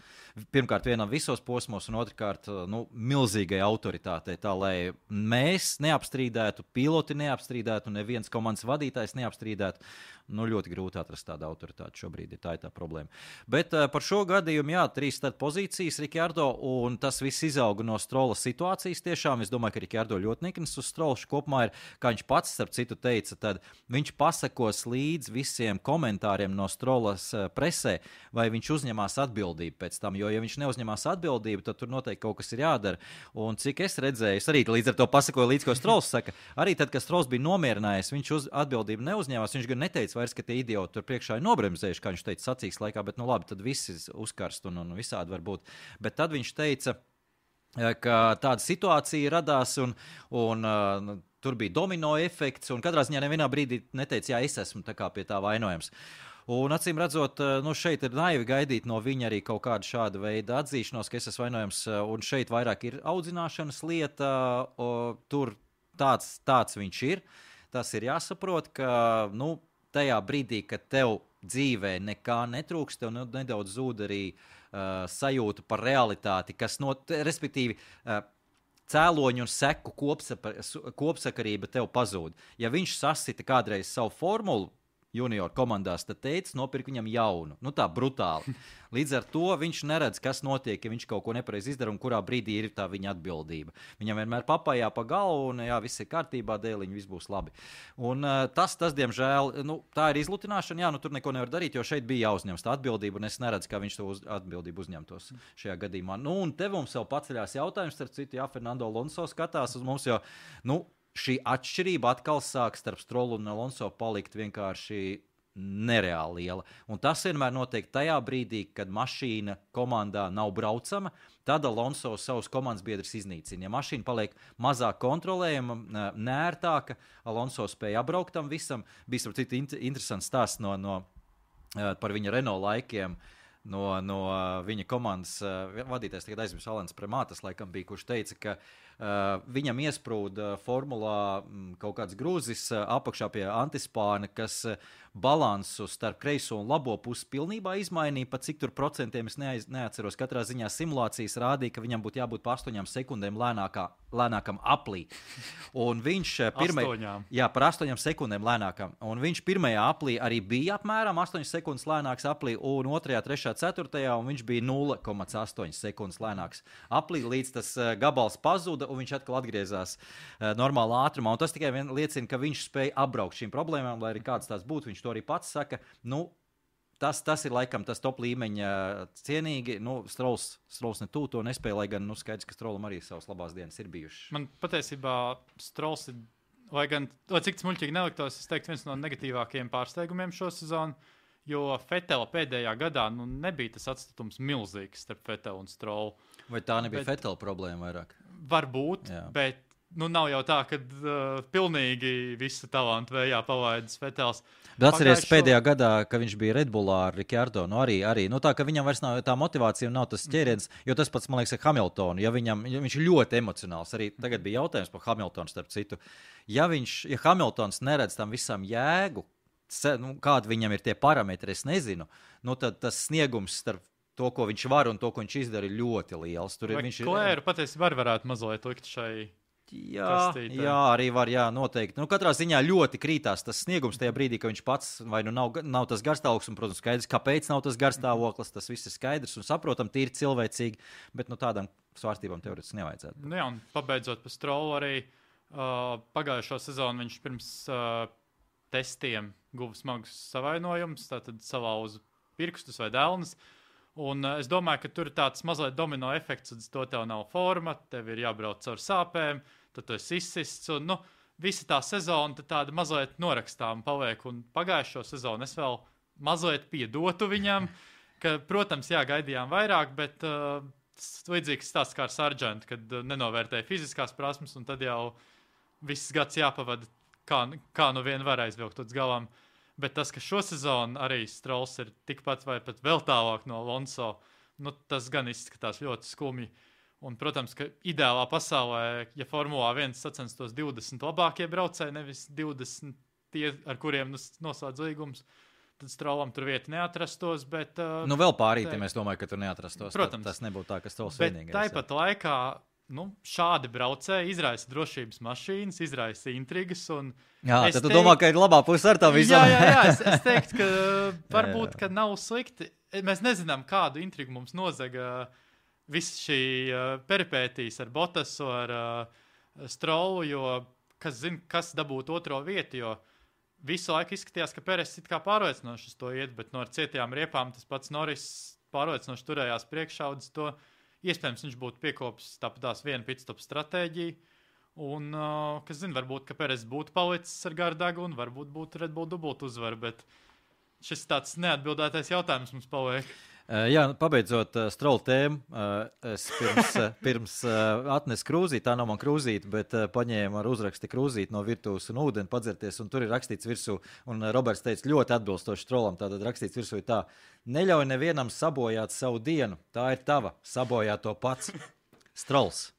pirmkārt vienam visos posmos un otrkārt nu, milzīgai autoritātei, tā lai mēs neapstrīdētu, piloti neapstrīdētu, neviens komandas vadītājs neapstrīdētu. Nu, ļoti grūti atrast tādu autoritāti šobrīd, ir tā ir tā problēma. Bet uh, par šo gadījumu, jā, trīs tad pozīcijas Rikardo, un tas viss izauga no Strola situācijas tiešām. Es domāju, ka Rikardo ļoti niknis uz Strolu kopumā ir, kā viņš pats, starp citu, teica, tad viņš pasakos līdz visiem komentāriem no Strolas uh, presē, vai viņš uzņemās atbildību pēc tam, jo, ja viņš neuzņemās atbildību, tad tur noteikti kaut kas ir jādara. Un cik es redzēju, es arī līdz ar to pasakoju līdz, ko Strols saka, arī tad, kad Strols bija nomierinājies, viņš uz atbildību neuzņēmās, viņš gan neteica vairs, ka tie idioti tur priekšā ir nobremzējuši, kā viņš teica sacīks laikā, bet nu labi, tad visi uzkarst un, un visādi var būt. Bet tad viņš teica, ka tāda situācija radās un, un uh, tur bija domino efekts un katrā ziņā nevienā brīdī neteica, jā, es esmu tā kā pie tā vainojams. Un acīm redzot, nu šeit ir naivi gaidīt no viņa arī kaut kādu šādu veidu atzīšanos, ka es esmu vainojams, un šeit vairāk ir audzināšanas lieta, o, tur tāds, tāds viņš ir. Tas ir jāsaprot, ka, nu, tajā brīdī, kad tev dzīvē nekā netrūkst, tev nedaudz zūd arī uh, sajūta par realitāti, kas, no, respektīvi, uh, cēloņu un seku kopsakarība tev pazūd. Ja viņš sasita kādreiz savu formulu junior komandās, tad teica, nopirk viņam jaunu. Nu tā, brutāli. Līdz ar to viņš neredz, kas notiek, ja viņš kaut ko nepareizi izdara un kurā brīdī ir tā viņa atbildība. Viņam vienmēr papājā pa galvu un jā, viss ir kārtībā, dēliņi, viss būs labi. Un uh, tas, tas, diemžēl, nu, tā ir izlutināšana, jā, nu tur neko nevar darīt, jo šeit bija jāuzņems tā atbildība un es neredzu, kā viņš to uz, atbildību uzņemtos šajā gadījumā. Nu, un te mums vēl paceļās jautājums, starp citu, jā, Fernando Alonso skatās uz mums, jo, nu, šī atšķirība atkal sāk starp Strolu un Alonso palikt vienkārši nereāli liela. Un tas vienmēr notiek tajā brīdī, kad mašīna komandā nav braucama, tad Alonso savus komandas biedrus iznīcina. Ja mašīna paliek mazāk kontrolējama, nērtāka, Alonso spēja apbraukt tam visam. Bija starp citu interesants stāsts no, no, par viņa Renault laikiem. No, no viņa komandas vadītājs, tagad aizmirsu, Alens Premātas laikam bija, kurš teica, ka uh, viņam iesprūda formulā m, kaut kāds grūzis uh, apakšā pie antispāna, kas uh, balansu starp kreiso un labo pusi pilnībā izmainīja, pat cik tur procentiem es neaiz, neatceros. Katrā ziņā simulācijas rādīja, ka viņam būtu jābūt pa astoņām sekundēm lēnākā, lēnākam aplī. Un viņš pirmai, jā, par astoņām sekundēm lēnākam. Un viņš pirmajā aplī arī bija apmēram astoņas sekundes lēnāks aplī, un otrajā, trešajā, ceturtajā, un viņš bija nulle komats astoņas sekundes lēnāks aplī, līdz tas uh, gabals pazuda, un viņš atkal atgriezās uh, normālā ātrumā. Un tas tikai vien liecina, ka viņš spēja apbraukt šīm problēmām, lai arī kāds tās būtu. Viņš to arī pats saka. Nu, tas, tas ir laikam tas top līmeņa cienīgi. Nu, Strols, Strols ne tū to nespēja, lai gan nu, skaidrs, ka Strolam arī savas labās dienas ir bijušas. Man patiesībā Strols ir, lai gan, lai cik tas muļķīgi neliktos, es teiktu, viens no negatīvākajiem pārsteigumiem šo sezonu. Jo Fetela pēdējā gadā nu, nebija tas atstatums milzīgs starp Fetelu un Strolu. Vai tā nebija bet, Fetela problēma vairāk? Varbūt, jā. Bet nu, nav jau tā, ka uh, pilnīgi visu talantu vējā palaidis Fetels. Bet atceries Pagājušo... pēdējā gadā, ka viņš bija Red Bullā ar Rikardo, nu arī, arī, nu tā, ka viņam vairs nav tā motivācija un nav tas ķēriens, jo tas pats, man liekas, ar Hamiltonu, ja viņam, ja viņš ir ļoti emocionāls, arī tagad bija jautājums par Hamiltonu starp citu, ja viņš, ja Hamiltons neredz tam visam jēgu, nu, kādi viņam ir tie parametri, es nezinu, nu tad tas sniegums starp to, ko viņš var un to, ko viņš izdara, ir ļoti liels. Tur vai viņš Klēru ir... patiesībā var varētu mazliet likt šai jā, kastītē? Jā, arī var, jā, noteikti. Nu, katrā ziņā ļoti krītās tas sniegums tajā brīdī, ka viņš pats vai nu nav, nav tas garstāvoklis, un, protams, skaidrs, kāpēc nav tas garstāvoklis, tas viss ir skaidrs un saprotam, tīri cilvēcīgi, bet nu tādām svārstībām teorētiski nevajadzētu. Nu jā, un pabeidzot pa Strolu arī uh, pagājušo sezonu viņš pirms uh, testiem guva smagus savainojumus, tātad salauza pirkstus vai delnas. Un uh, es domāju, ka tur ir tāds mazliet domino efekts, un to tev nav forma, tev ir jābrauc caur sāpēm, tad tu esi izsists, un nu, visa tā sezona tāda mazliet norakstām paliek, un pagājušo sezonu es vēl mazliet piedotu viņam, ka, protams, jā, gaidījām vairāk, bet uh, līdzīgs stāsts kā ar Sargentu, kad uh, nenovērtēja fiziskās prasmes, un tad jau viss gads jāpavada, kā, kā nu vien var aizvilkt līdz galam. Bet tas, ka šo sezonu arī Strolls ir tikpat vai pat vēl tālāk no Alonso, nu, tas gan izskatās ļoti skumji. Un, protams, ka ideālā pasaulē, ja Formulā viens sacenstos divdesmit labākie braucēji, nevis divdesmit tie, ar kuriem noslēdz līgums, tad Strollam tur vieta neatrastos. Bet, uh, nu, vēl pārīti, mēs domājam, ka tur neatrastos. Protams. Tas nebūtu tā, ka Strolls bet vienīgais. Bet tāpat laikā nu, šādi braucēji izraisa drošības mašīnas, izraisa intrigas. Un jā, tad tu teiktu, domā, ka ir labā puse ar tā visam. Jā, jā, jā, es, es teiktu, ka varbūt, ka nav slikti. Mēs nezinām, kādu intrigu mums nozaga viss šī uh, peripētīs ar Bottasu, ar uh, Strollu, jo kas zina, kas dabūtu otro vietu, jo visu laiku izskatījās, ka Peres it kā pārliecinoši uz to iet, bet no ar cietajām riepām tas pats Norris pārliecinoši turējās priekšaudzes to. Iespējams, viņš būtu piekopis tāpatās vienu pitstop stratēģiju, un, uh, kas zina, varbūt, ka Peres būtu palicis ar garu degunu, varbūt būtu Red Bull dubult uzvaru, bet šis tāds neatbildētais jautājums mums paliek. Uh, jā, pabeidzot uh, Stroll tēmu, uh, es pirms, uh, pirms uh, atnesu krūzīti, tā nav man krūzīti, bet uh, paņēmu ar uzraksti krūzīti no virtuves un ūdeni padzerties, un tur ir rakstīts virsū, un uh, Roberts teica ļoti atbilstoši Strollam, tātad rakstīts virsū ir tā, neļauj nevienam sabojāt savu dienu, tā ir tava, sabojā to pats. Strolls.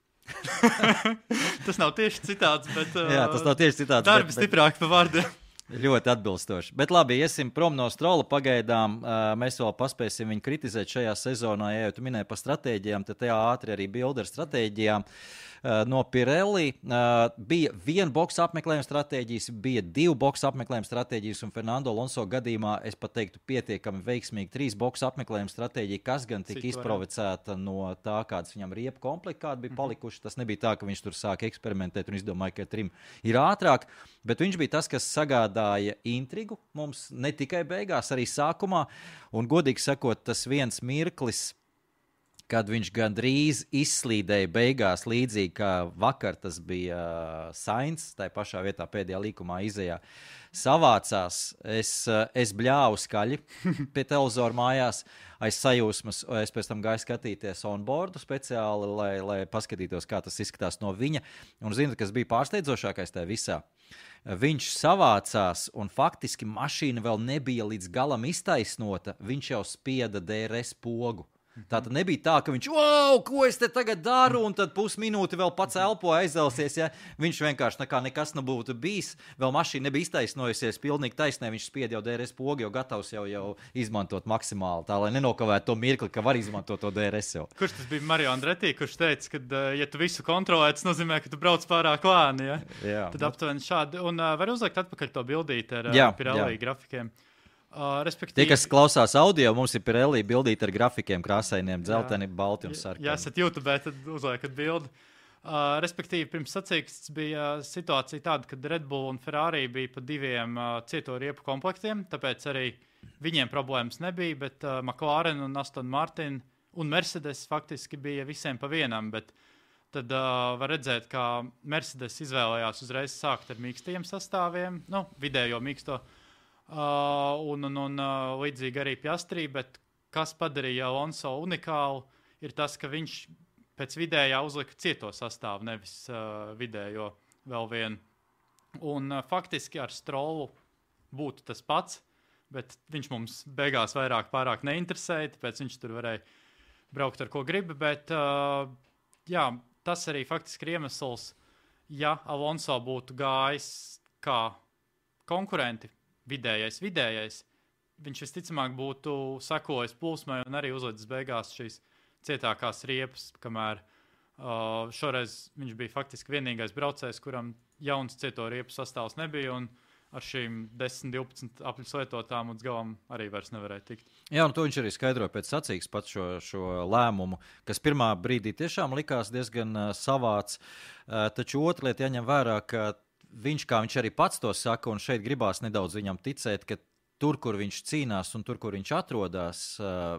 Tas nav tieši citāts, bet uh, jā, tas nav tieši citāts. Darbi bet, stiprāk pa vārdiem. Ļoti atbilstoši. Bet labi, iesim prom no Strolla pagaidām. Mēs vēl paspēsim viņu kritizēt šajā sezonā. Ja jau tu minēji par stratēģijām, tad tajā ātri arī bildi ar stratēģijām. No Pirelli bija viena boxa apmeklējuma stratēģijas, bija divu boxa apmeklējuma stratēģijas, un Fernando Alonso gadījumā es pat teiktu pietiekami veiksmīgi trīs boxa apmeklējuma stratēģija, kas gan tika izprovocēta no tā, kādas viņam riepu komplekti, kādi bija palikuši. Tas nebija tā, ka viņš tur sāka eksperimentēt un izdomāja, ka trim ir ātrāk, bet viņš bija tas, kas sagādāja intrigu mums ne tikai beigās, arī sākumā, un godīgi sakot, tas viens mirklis, kad viņš gandrīz izslīdēja beigās līdzīgi kā vakar, tas bija Sainz, tai pašā vietā pēdējā līkumā izejā, savācās, es, es bļāvu skaļi pie televizora mājās, aiz sajūsmas, es pēc tam gāju skatīties onboardu speciāli, lai, lai paskatītos, kā tas izskatās no viņa, un zinu, kas bija pārsteidzošākais tajā visā. Viņš savācās, un faktiski mašīna vēl nebija līdz galam iztaisnota, viņš jau spieda D R S pogu. Tātad nebija tā, ka viņš, wow, ko es te tagad daru, un tad pusminūti vēl pats elpo aizdelsies, ja viņš vienkārši nekā nekas nebūtu bijis, vēl mašīna nebija iztaisnojusies, pilnīgi taisnē, viņš spied jau D R S pogu, jau gatavs jau, jau izmantot maksimāli, tā, lai nenokavētu to mirkli, ka var izmantot to D R S jau. Kurš tas bija Mario Andretti, kurš teica, ka, ja tu visu kontrolē, tas nozīmē, ka tu brauc pārāk lēni, ja? Jā. Tad aptuveni šādi, un uh, var uzlikt atpakaļ to bildīt ar jā, uh, Pirelli jā. grafikiem. Uh, Tie, kas klausās audio, mums ir Pirelli bildīt ar grafikiem krāsainiem, dzelteni, balti un sarkani. Ja esat YouTube, tad uzliekat bildi. Uh, respektīvi, pirms sacīksts bija situācija tāda, kad Red Bull un Ferrari bija pa diviem uh, cieto riepu komplektiem, tāpēc arī viņiem problēmas nebija, bet uh, McLaren un Aston Martin un Mercedes faktiski bija visiem pa vienam, bet tad uh, var redzēt, ka Mercedes izvēlējās uzreiz sākt ar mīkstajiem sastāviem, nu, vidējo mīksto. Uh, un, un, un uh, līdzīgi arī Piastri, bet kas padarīja Alonso unikālu, ir tas, ka viņš pēc vidējā uzlika cieto sastāvu, nevis uh, vidējo vēl vienu. Un uh, faktiski ar Strollu būtu tas pats, bet viņš mums beigās vairāk pārāk neinteresēja, tāpēc viņš tur varēja braukt ar ko grib, bet uh, jā, tas arī faktiski ir iemesls, ja Alonso būtu gājis kā konkurenti, vidējais, vidējais, viņš visticamāk būtu sekojis plūsmai un arī uzlicis beigās šīs cietākās riepas, kamēr uh, šoreiz viņš bija faktiski vienīgais braucējs, kuram jauns cieto riepu sastāvs nebija, un ar šīm desmit divpadsmit apļus lietotām līdz galam arī vairs nevarēja tikt. Jā, un to viņš arī skaidroja pēc sacīks pats šo, šo lēmumu, kas pirmā brīdī tiešām likās diezgan uh, savāds, uh, taču otra lieta jāņem vērā, ka viņš, kā viņš arī pats to saka, un šeit gribās nedaudz viņam ticēt, ka tur, kur viņš cīnās un tur, kur viņš atrodas,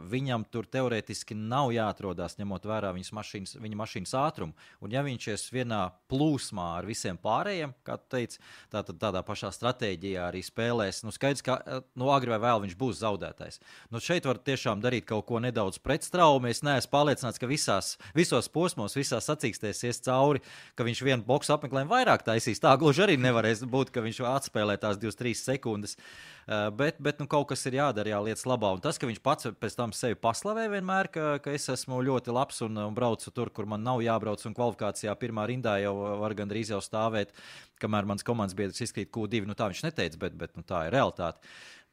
viņam tur teorētiski nav jāatrodās, ņemot vērā viņas mašīnas, viņa mašīnas ātrumu. Un ja viņš ir vienā plūsmā ar visiem pārējiem, kā tu teici, tā, tad tādā pašā stratēģijā arī spēlēs, nu skaidrs, ka nu, agri vai vēl viņš būs zaudētājs. Nu šeit var tiešām darīt kaut ko nedaudz pretstraumu. Es neesmu pārliecināts, ka visās, visos posmos, visās sacīkstēs ies cauri, ka viņš vienu boksu apmeklējumu vairāk taisīs. Tā gluži arī nevarēs būt, ka viņš atspēlē tās divas trīs sekundes. Uh, bet, bet nu, kaut kas ir jādara jā, lietas labā. Un tas, ka viņš pats pēc tam sevi paslavē vienmēr, ka, ka es esmu ļoti labs un, un braucu tur, kur man nav jābrauc, un kvalifikācijā pirmā rindā jau var gandrīz jau stāvēt, kamēr mans komandas biedrs izkrīt Q divi. Nu, tā viņš neteica, bet, bet nu, tā ir realitāte.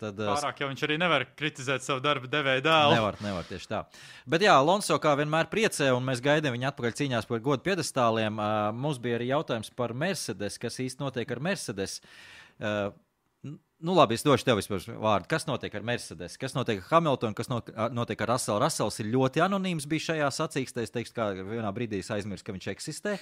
Tad, Pārāk jau viņš arī nevar kritizēt savu darbu devēju dēlu. Nevar, nevar tieši tā. Bet jā, Alonso kā vienmēr priecē, un mēs gaidām viņu atpakaļ cīņās par godu piedestāliem. Uh, mums bija arī jautājums par Mercedes, kas īsti notiek ar Mercedes. Uh, Nu, labi, es došu tev vispār vārdu. Kas notiek ar Mercedes? Kas notiek ar Hamiltonu? Kas notiek ar Russellu? Russells ir ļoti anonīms bija šajā sacīkstē. Es teikšu, kā vienā brīdī es aizmirsu, ka viņš eksistē.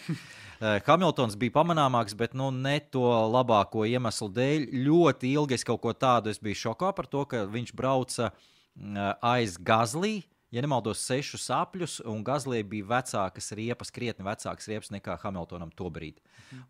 Hamiltons bija pamanāmāks, bet nu, ne to labāko iemeslu dēļ. Ļoti ilgi es kaut ko tādu es biju šokā par to, ka viņš brauca aiz Gazlī. Ja nemaldos, sešus apļus, un Gazlī bija vecākas riepas, krietni vecākas riepas nekā Hamiltonam to brīdi.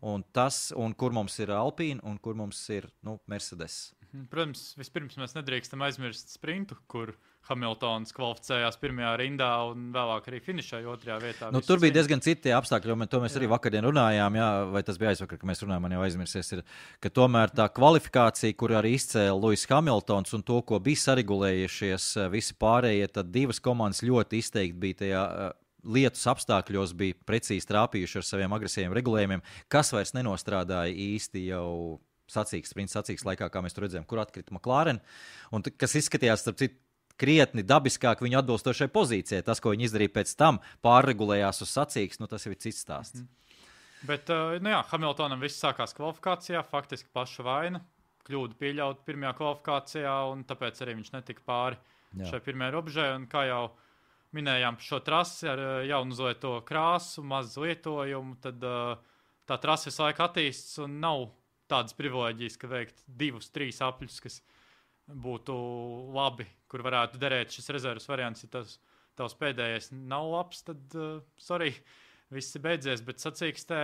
Un tas, un kur mums ir Alpīna, un kur mums ir nu, Mercedes. Protams, vispirms mēs nedrīkstam aizmirst sprintu, kur Hamiltons kvalificējās pirmajā rindā un vēlāk arī finišēja otrajā vietā. Nu, tur bija diezgan citi apstākļi, un to mēs jā. arī vakardien runājām, jā, vai tas bija aizvakar, ka mēs runājām, man jau aizmirsies, ir, ka tomēr tā kvalifikācija, kur arī izcēla Lewis Hamiltons un to, ko bija saregulējušies visi pārējie, tad divas komandas ļoti izteikti bija tajā lietus apstākļos, bija precīzi trāpījuši ar saviem agresīviem regulējumiem, kas vairs nenostrādāja īsti jau sacīks, sprints sacīks laikā, kā mēs tur redzējām, kur atkrita McLaren, un t- kas izskatījās, starp citu, krietni dabiskāk viņu atbilstošai pozīcijai. Tas, ko viņi izdarīja pēc tam, pārregulējās uz sacīks, nu tas jau ir cits stāsts. Mm-hmm. Bet, nu jā, Hamiltonam viss sākās kvalifikācijā, faktiski paša vaina, kļūdu pieļaut pirmajā kvalifikācijā, un tāpēc arī viņš netika pāri jā. šai pirmajai robežai, un kā jau minējām šo trasi ar jaunu zoeto krāsu, maz lietojumu, tad tā trasi visu laiku attīstas un nav tādas privileģijas, ka veikt divus, trīs apļus, kas būtu labi, kur varētu derēt šis rezervas variants. Ja tas tavs pēdējais nav labs, tad, uh, sorry, viss ir beidzies. Bet sacīkstē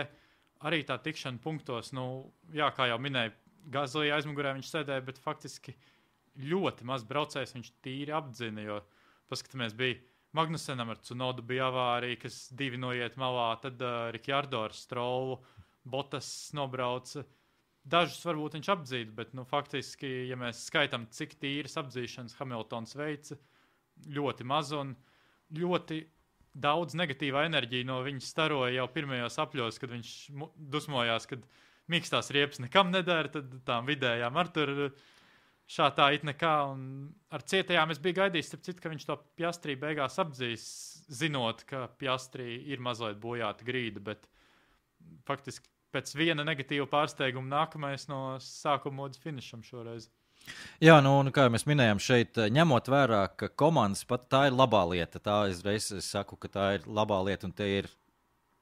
arī tā tikšana punktos, nu, jā, kā jau minēju, Gazlī aizmugurē viņš sēdēja, bet faktiski ļoti maz braucējs viņš tīri apdzina, jo, paskatāmies, bija Magnusenam ar Tsunodu bija avārija, kas divi noiet malā, tad uh, Ricciardo ar Strollu, Bottas nobrauca. Dažus varbūt viņš apdzītu, bet nu, faktiski, ja mēs skaitām, cik tīras apdzīšanas Hamiltons veica, ļoti maz un ļoti daudz negatīvā enerģija no viņa staroja jau pirmajos apļos, kad viņš dusmojās, kad mīkstās riepas nekam nedara, tad tām vidējām ar tur šā tā it nekā. Un ar cietajām es biju gaidījis, citu, ka viņš to Piastrī beigās apdzīs, zinot, ka Piastrī ir mazliet bojāta grīda, bet faktiski pēc viena negatīva pārsteiguma nākamais no sākuma līdz finišam šoreiz. Jā, nu, un kā mēs minējām šeit, ņemot vērā, ka komandas pat tā ir labā lieta, tā es reiz es saku, ka tā ir labā lieta, un te ir,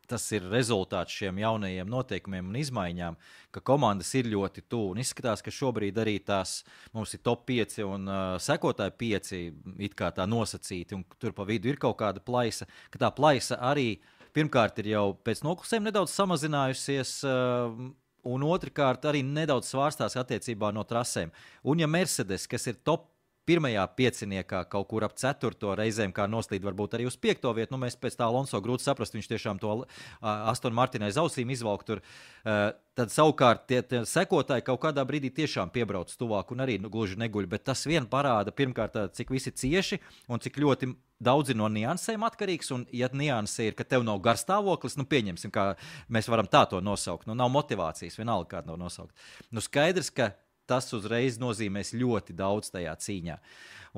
tas ir rezultāts šiem jaunajiem noteikumiem un izmaiņām, ka komandas ir ļoti tuvu, un izskatās, ka šobrīd arī tās, mums ir top pieci un uh, sekotāji pieci, it kā tā nosacīti, un tur pa vidu ir kaut kāda plaisa, ka tā plaisa arī pirmkārt ir jau pēc noklusēm nedaudz samazinājusies, un otrkārt arī nedaudz svārstās attiecībā no trasēm. Un ja Mercedes, kas ir top pirmajā pieciniekā kaut kur ap ceturto reizēm, kā noslīd varbūt arī uz piekto vietu, nu mēs pēc tā Alonso grūti saprast, viņš tiešām to uh, Aston Martin aiz ausīm izvalk tur, uh, tad savukārt tie, tie sekotāji kaut kādā brīdī tiešām piebrauc tuvāk un arī nu, gluži neguļ, bet tas vien parāda pirmkārt, cik visi cieši un cik ļoti daudzi no niansēm atkarīgs, un ja nianse ir, ka tev nav garstāvoklis, nu pieņemsim, kā mēs varam tā to nosaukt, nu nav motivācijas, vienalga kāda nav nosaukt. Nu skaidrs, ka tas uzreiz nozīmēs ļoti daudz tajā cīņā.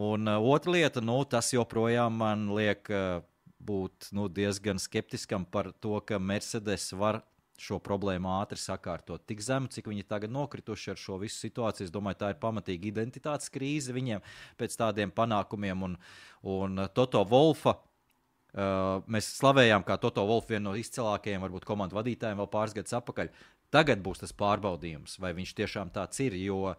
Un uh, otra lieta, nu, tas joprojām man liek uh, būt nu, diezgan skeptiskam par to, ka Mercedes var šo problēmu ātri sakārtot tik zemu, cik viņi tagad nokrituši ar šo visu situāciju. Es domāju, tā ir pamatīga identitātes krīze viņiem pēc tādiem panākumiem. Un, un Toto Wolfa Uh, mēs slavējām, kā Toto Wolff vienu no izcilākajiem, varbūt komandu vadītājiem vēl pāris gadus atpakaļ. Tagad būs tas pārbaudījums, vai viņš tiešām tāds ir, jo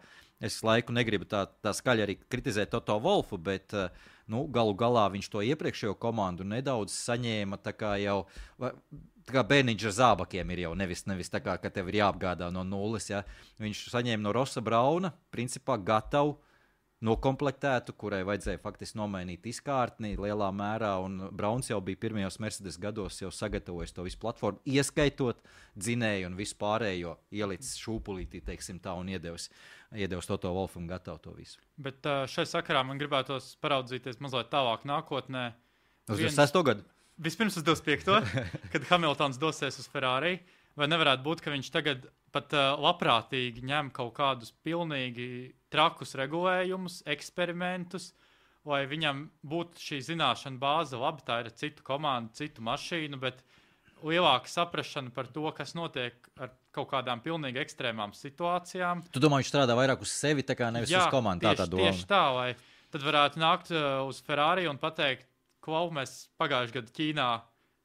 es laiku negribu tā, tā skaļi arī kritizēt Toto Wolffu, bet uh, nu, galu galā viņš to iepriekšējo komandu nedaudz saņēma tā kā jau, tā kā bērniņš ar zābakiem ir jau, nevis, nevis tā kā, ka tev ir jāapgādā no nulles, ja. Viņš saņēma no Rossa Brauna, principā gatavu, nokomplektētu, kurai vajadzēja faktiski nomainīt izkārtni lielā mērā, un Brauns jau bija pirmajos Mercedes gados jau sagatavojis to visu platformu, ieskaitot dzinēju un visu pārējo, ielicis šūpulītī, teiksim tā, un iedevis, iedevis Toto Wolffam gatavu to visu. Bet šai sakarā man gribētos paraudzīties mazliet tālāk nākotnē. Uz divdesmit sesto gadu? Vispirms uz divdesmit piekto kad Hamiltons dosies uz Ferrari, vai nevarētu būt, ka viņš tagad pat uh, labprātīgi ņem kaut kādus pilnīgi trakus regulējumus, eksperimentus, lai viņam būtu šī zināšana bāze, labi, tā ir citu komandu, citu mašīnu, bet lielāka saprašana par to, kas notiek ar kaut kādām pilnīgi ekstrēmām situācijām. Tu domā, viņš strādā vairāk uz sevi, tā kā nevis Jā, uz komandu? Tieši, tā tā tieši tā, lai tad varētu nākt uh, uz Ferrari un pateikt, ko mēs pagājušajā gadā Ķīnā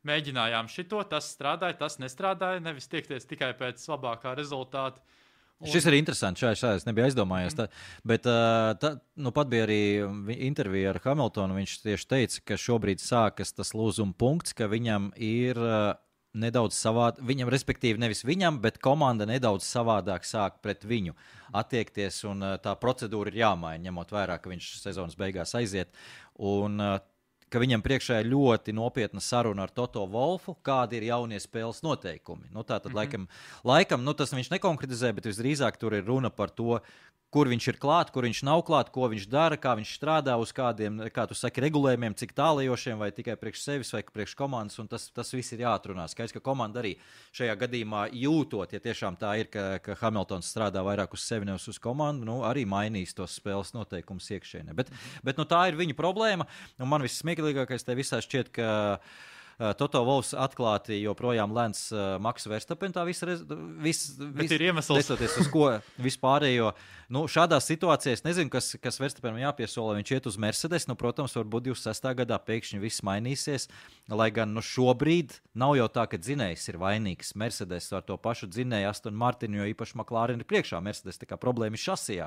mēģinājām šito, tas strādāja, tas nestrādāja, nevis tiekties tikai pēc labākā rezultāta. Un... Šis ir interesants, šā, šā es nebiju aizdomājies, tā, bet tā, nu pat bija arī intervija ar Hamiltonu, viņš tieši teica, ka šobrīd sākas tas lūzuma punkts, ka viņam ir nedaudz savādi, viņam respektīvi nevis viņam, bet komanda nedaudz savādāk sāk pret viņu attiekties, un tā procedūra ir jāmaina, ņemot vērā, ka viņš sezonas beigās aiziet, un ka viņam priekšā ir ļoti nopietna saruna ar Toto Wolffu, kādi ir jaunie spēles noteikumi. Nu, tā tad mm-hmm. laikam, laikam nu, tas viņš nekonkretizē, bet visdrīzāk tur ir runa par to, kur viņš ir klāt, kur viņš nav klāt, ko viņš dara, kā viņš strādā uz kādiem, kā tu saki, regulējumiem, cik tālajošiem, vai tikai priekš sevis, vai priekš komandas, un tas, tas viss ir jāatrunā. Skaidrs, ka komanda arī šajā gadījumā jūtot, ja tiešām tā ir, ka, ka Hamiltons strādā vairāk uz sevi, nevis uz komandu, nu, arī mainīs tos spēles noteikumus iekšēnē. Bet, bet nu, tā ir viņa problēma, un man viss smieklīgākais te visā šķiet, ka Uh, Toto Wolffs atklāti joprojām lēns uh, Maksu Verstappen, tā visa rez... vis, vis, ir iemesls. Desoties uz ko vispārējo. Nu, šādā situācijā es nezinu, kas, kas Verstappenam jāpiesola, viņš iet uz Mercedes, nu, protams, varbūt divdesmit sestā gadā pēkšņi viss mainīsies, lai gan nu, šobrīd nav jau tā, ka dzinējs ir vainīgs Mercedes ar to pašu dzinēju Aston Martinu, jo īpaši McLaren ir priekšā Mercedes, tā kā problēma ir šasijā,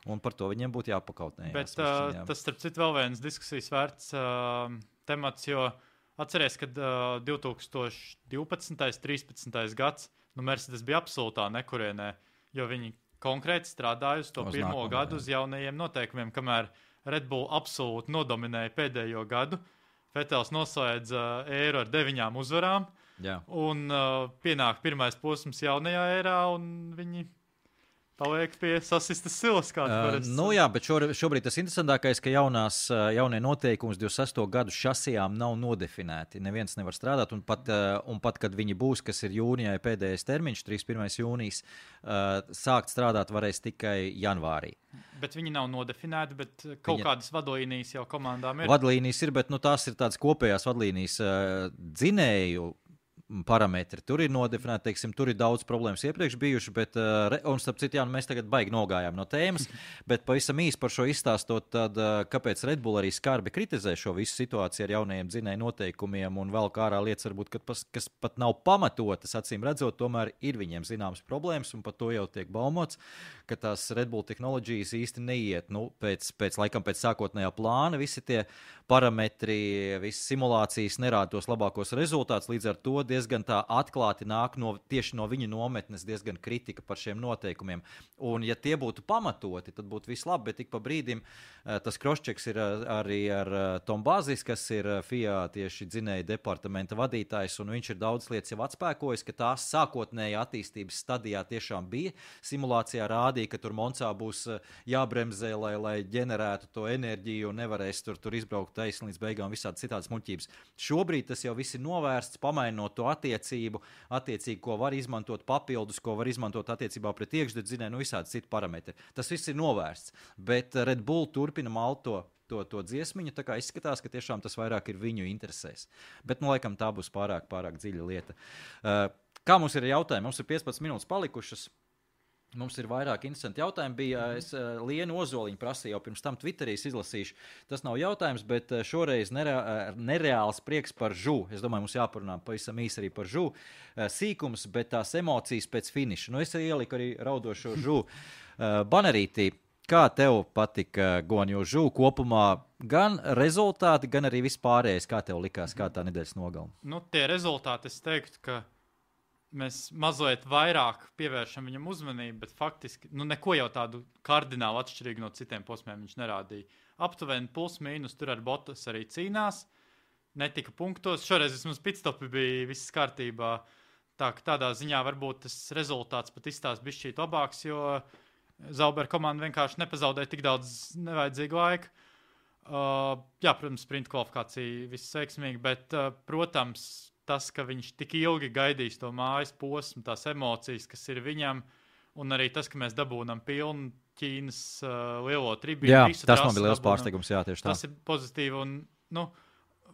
un par to viņiem būtu jāpakautnējās. Bet uh, tas, starp citu, vēl viens diskusijas vērts uh, temats, jo atceries, kad uh, divtūkstoš divpadsmitais trīspadsmitais gads, nu Mercedes bija absolūtā nekurienē, jo viņi konkrēti strādāja uz to uz pirmo nākamā, gadu jā. Uz jaunajiem noteikumiem, kamēr Red Bull absolūti nodominēja pēdējo gadu. Vetels noslēdza uh, ēru ar deviņām uzvarām, jā. Un uh, pienāk pirmais posms jaunajā ērā, un viņi paliek pie sasistas silas, kāds uh, parasti. Nu jā, bet šo, šobrīd tas interesantākais, ka jaunās, jaunie noteikums divdesmit sesto gadu šasijām nav nodefinēti. Neviens nevar strādāt, un pat, un pat kad viņi būs, kas ir jūnijā pēdējais termiņš, trīsdesmit pirmais jūnijas, sākt strādāt varēs tikai janvārī. Bet viņi nav nodefinēti, bet kaut Viņa... kādas vadlīnijas jau komandām ir? Vadlīnijas ir, bet nu, tās ir tādas kopējās vadlīnijas dzinēju parametri. Tur ir nodefinēti, teiksim, tur ir daudz problēmas iepriekš bijuši, bet, un starp citu, jā, nu, mēs tagad baigi nogājām no tēmas, bet pavisam īsi par šo izstāstot, tad, kāpēc Red Bull arī skarbi kritizē šo visu situāciju ar jaunajiem dzinēju noteikumiem un vēl kā ārā lietas, varbūt, kas, kas pat nav pamatotas, acīm redzot, tomēr ir viņiem zināmas problēmas, un par to jau tiek baumots, ka tās Red Bull tehnoloģijas īsti neiet, nu, pēc, pēc laikam pēc sākotnējā plāna, visi tie parametri, visas simulācijas nerāda tos labākos rezultātus, līdz ar to diezgan tā atklāti nāk no, tieši no viņa nometnes diezgan kritika par šiem noteikumiem. Un ja tie būtu pamatoti, tad būtu viss labi, bet tik pa brīdim tas cross-checks ir arī ar Tom Bazis, kas ir F I A tieši dzinēja departamenta vadītājs, un viņš ir daudz lietas jau atspēkojis, ka tās sākotnējā attīstības stadijā tiešām bija. Simulācijā rādīja, ka tur Moncā būs jābremzē, lai, lai ģenerētu to enerģiju un nevarēs tur, tur izbraukt taisni līdz beigām visādi citādas muļķības. Šobrīd tas jau viss ir novērsts, pamainot to attiecību, attiecīgi, ko var izmantot papildus, ko var izmantot attiecībā pret iekšdedzinēju, nu visādi citu parametri. Tas viss ir novērsts, bet Red Bull turpina malt to, to, to dziesmiņu, tā kā izskatās, ka tiešām tas vairāk ir viņu interesēs. Bet, nu, laikam, tā būs pārāk, pārāk dziļa lieta. Uh, kā mums ir jautājumi? Mums ir piecpadsmit minūtes palikušas. Mums ir vairāk interesanti jautājumi. Bija, es uh, Lienu Ozoliņu prasīju jau pirms tam Twitterī izlasīšu. Tas nav jautājums, bet uh, šoreiz nerea, nereāls prieks par žu. Es domāju, mums jāparunā pavisam īsi arī par žu. Uh, sīkums, bet tās emocijas pēc finiša. Nu, es ieliku arī raudošo žu. Uh, Banerītī, kā tev patika Guanju žu kopumā? Gan rezultāti, gan arī vispārējais. Kā tev likās, kā tā nedēļas nogalma? Nu, tie rezultāti, es teiktu, ka mēs mazliet vairāk pievēršam viņam uzmanību, bet faktiski nu, neko jau tādu kardināli atšķirīgu no citiem posmiem viņš nerādīja. Aptuveni plus mīnus tur ar Bottas arī cīnās, netika punktos. Šoreiz vismaz pitstopi bija viss kārtībā. Tā, tādā ziņā varbūt tas rezultāts pat izstās bišķīt labāks, jo Zauber komanda vienkārši nepazaudēja tik daudz nevajadzīgu laiku. Uh, jā, protams, sprint kvalifikācija viss veiksmīgi, bet, uh, protams, tas, ka viņš tik ilgi gaidīs to mājas posmu, tās emocijas, kas ir viņam, un arī tas, ka mēs dabūnam pilnu Ķīnas uh, lielo tribīnu. Jā, tas man bija liels pārsteigums, jā, tieši tā. Tas ir pozitīvi, un, nu,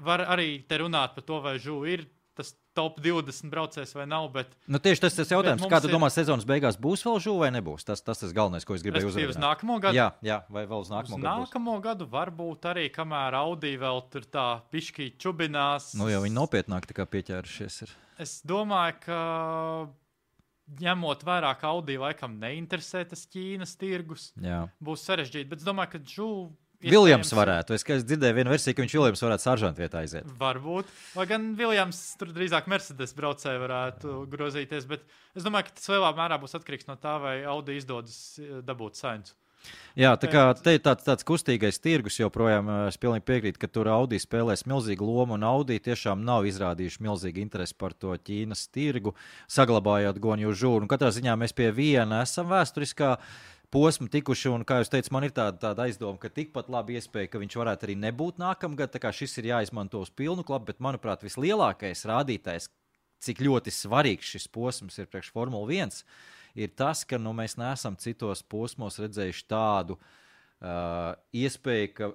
var arī te runāt par to, vai žu ir tas top divdesmit braucējs vai nav, bet... Nu, tieši tas tas jautājums, kā tu ir... domā, sezonas beigās būs vēl žu vai nebūs? Tas tas tas galvenais, ko es gribēju uzrādīt. Uz nākamo gadu? Jā, jā, vai vēl uz nākamo uz gadu būs? nākamo gadu varbūt arī, kamēr Audi vēl tur tā pišķī čubinās. Nu, jau viņi nopietnāk tā kā pieķērušies ir. Es domāju, ka ņemot vērā, ka Audi laikam neinteresē tas Ķīnas tirgus, Jā. Būs sarežģīti, bet es domāju, ka žu... Viljams varētu. Es, es dzirdēju vienu versiju, ka viņš Viljams varētu saržantu vietā aiziet. Varbūt. Vai gan Viljams tur drīzāk Mercedes braucēji varētu grozīties, bet es domāju, ka tas lielā mērā būs atkarīgs no tā, vai Audi izdodas dabūt Sainzu. Jā, tā kā te ir tāds, tāds kustīgais tirgus joprojām, es pilnīgi piekrītu, ka tur Audi spēlēs milzīgu lomu, un Audi tiešām nav izrādījuši milzīgu interesi par to Ķīnas tirgu, saglabājot Guanju žu. Un katrā ziņā mēs pie viena esam vēsturiskā posmu tikuši, un, kā jūs teicat, man ir tāda, tāda aizdoma, ka tikpat labi iespēja, ka viņš varētu arī nebūt nākamgad, tā kā šis ir jāizmanto uz pilnu klapu, bet, manuprāt, vislielākais rādītājs, cik ļoti svarīgs šis posms ir priekš Formula viens, ir tas, ka nu, mēs neesam citos posmos redzējuši tādu uh, iespēju, ka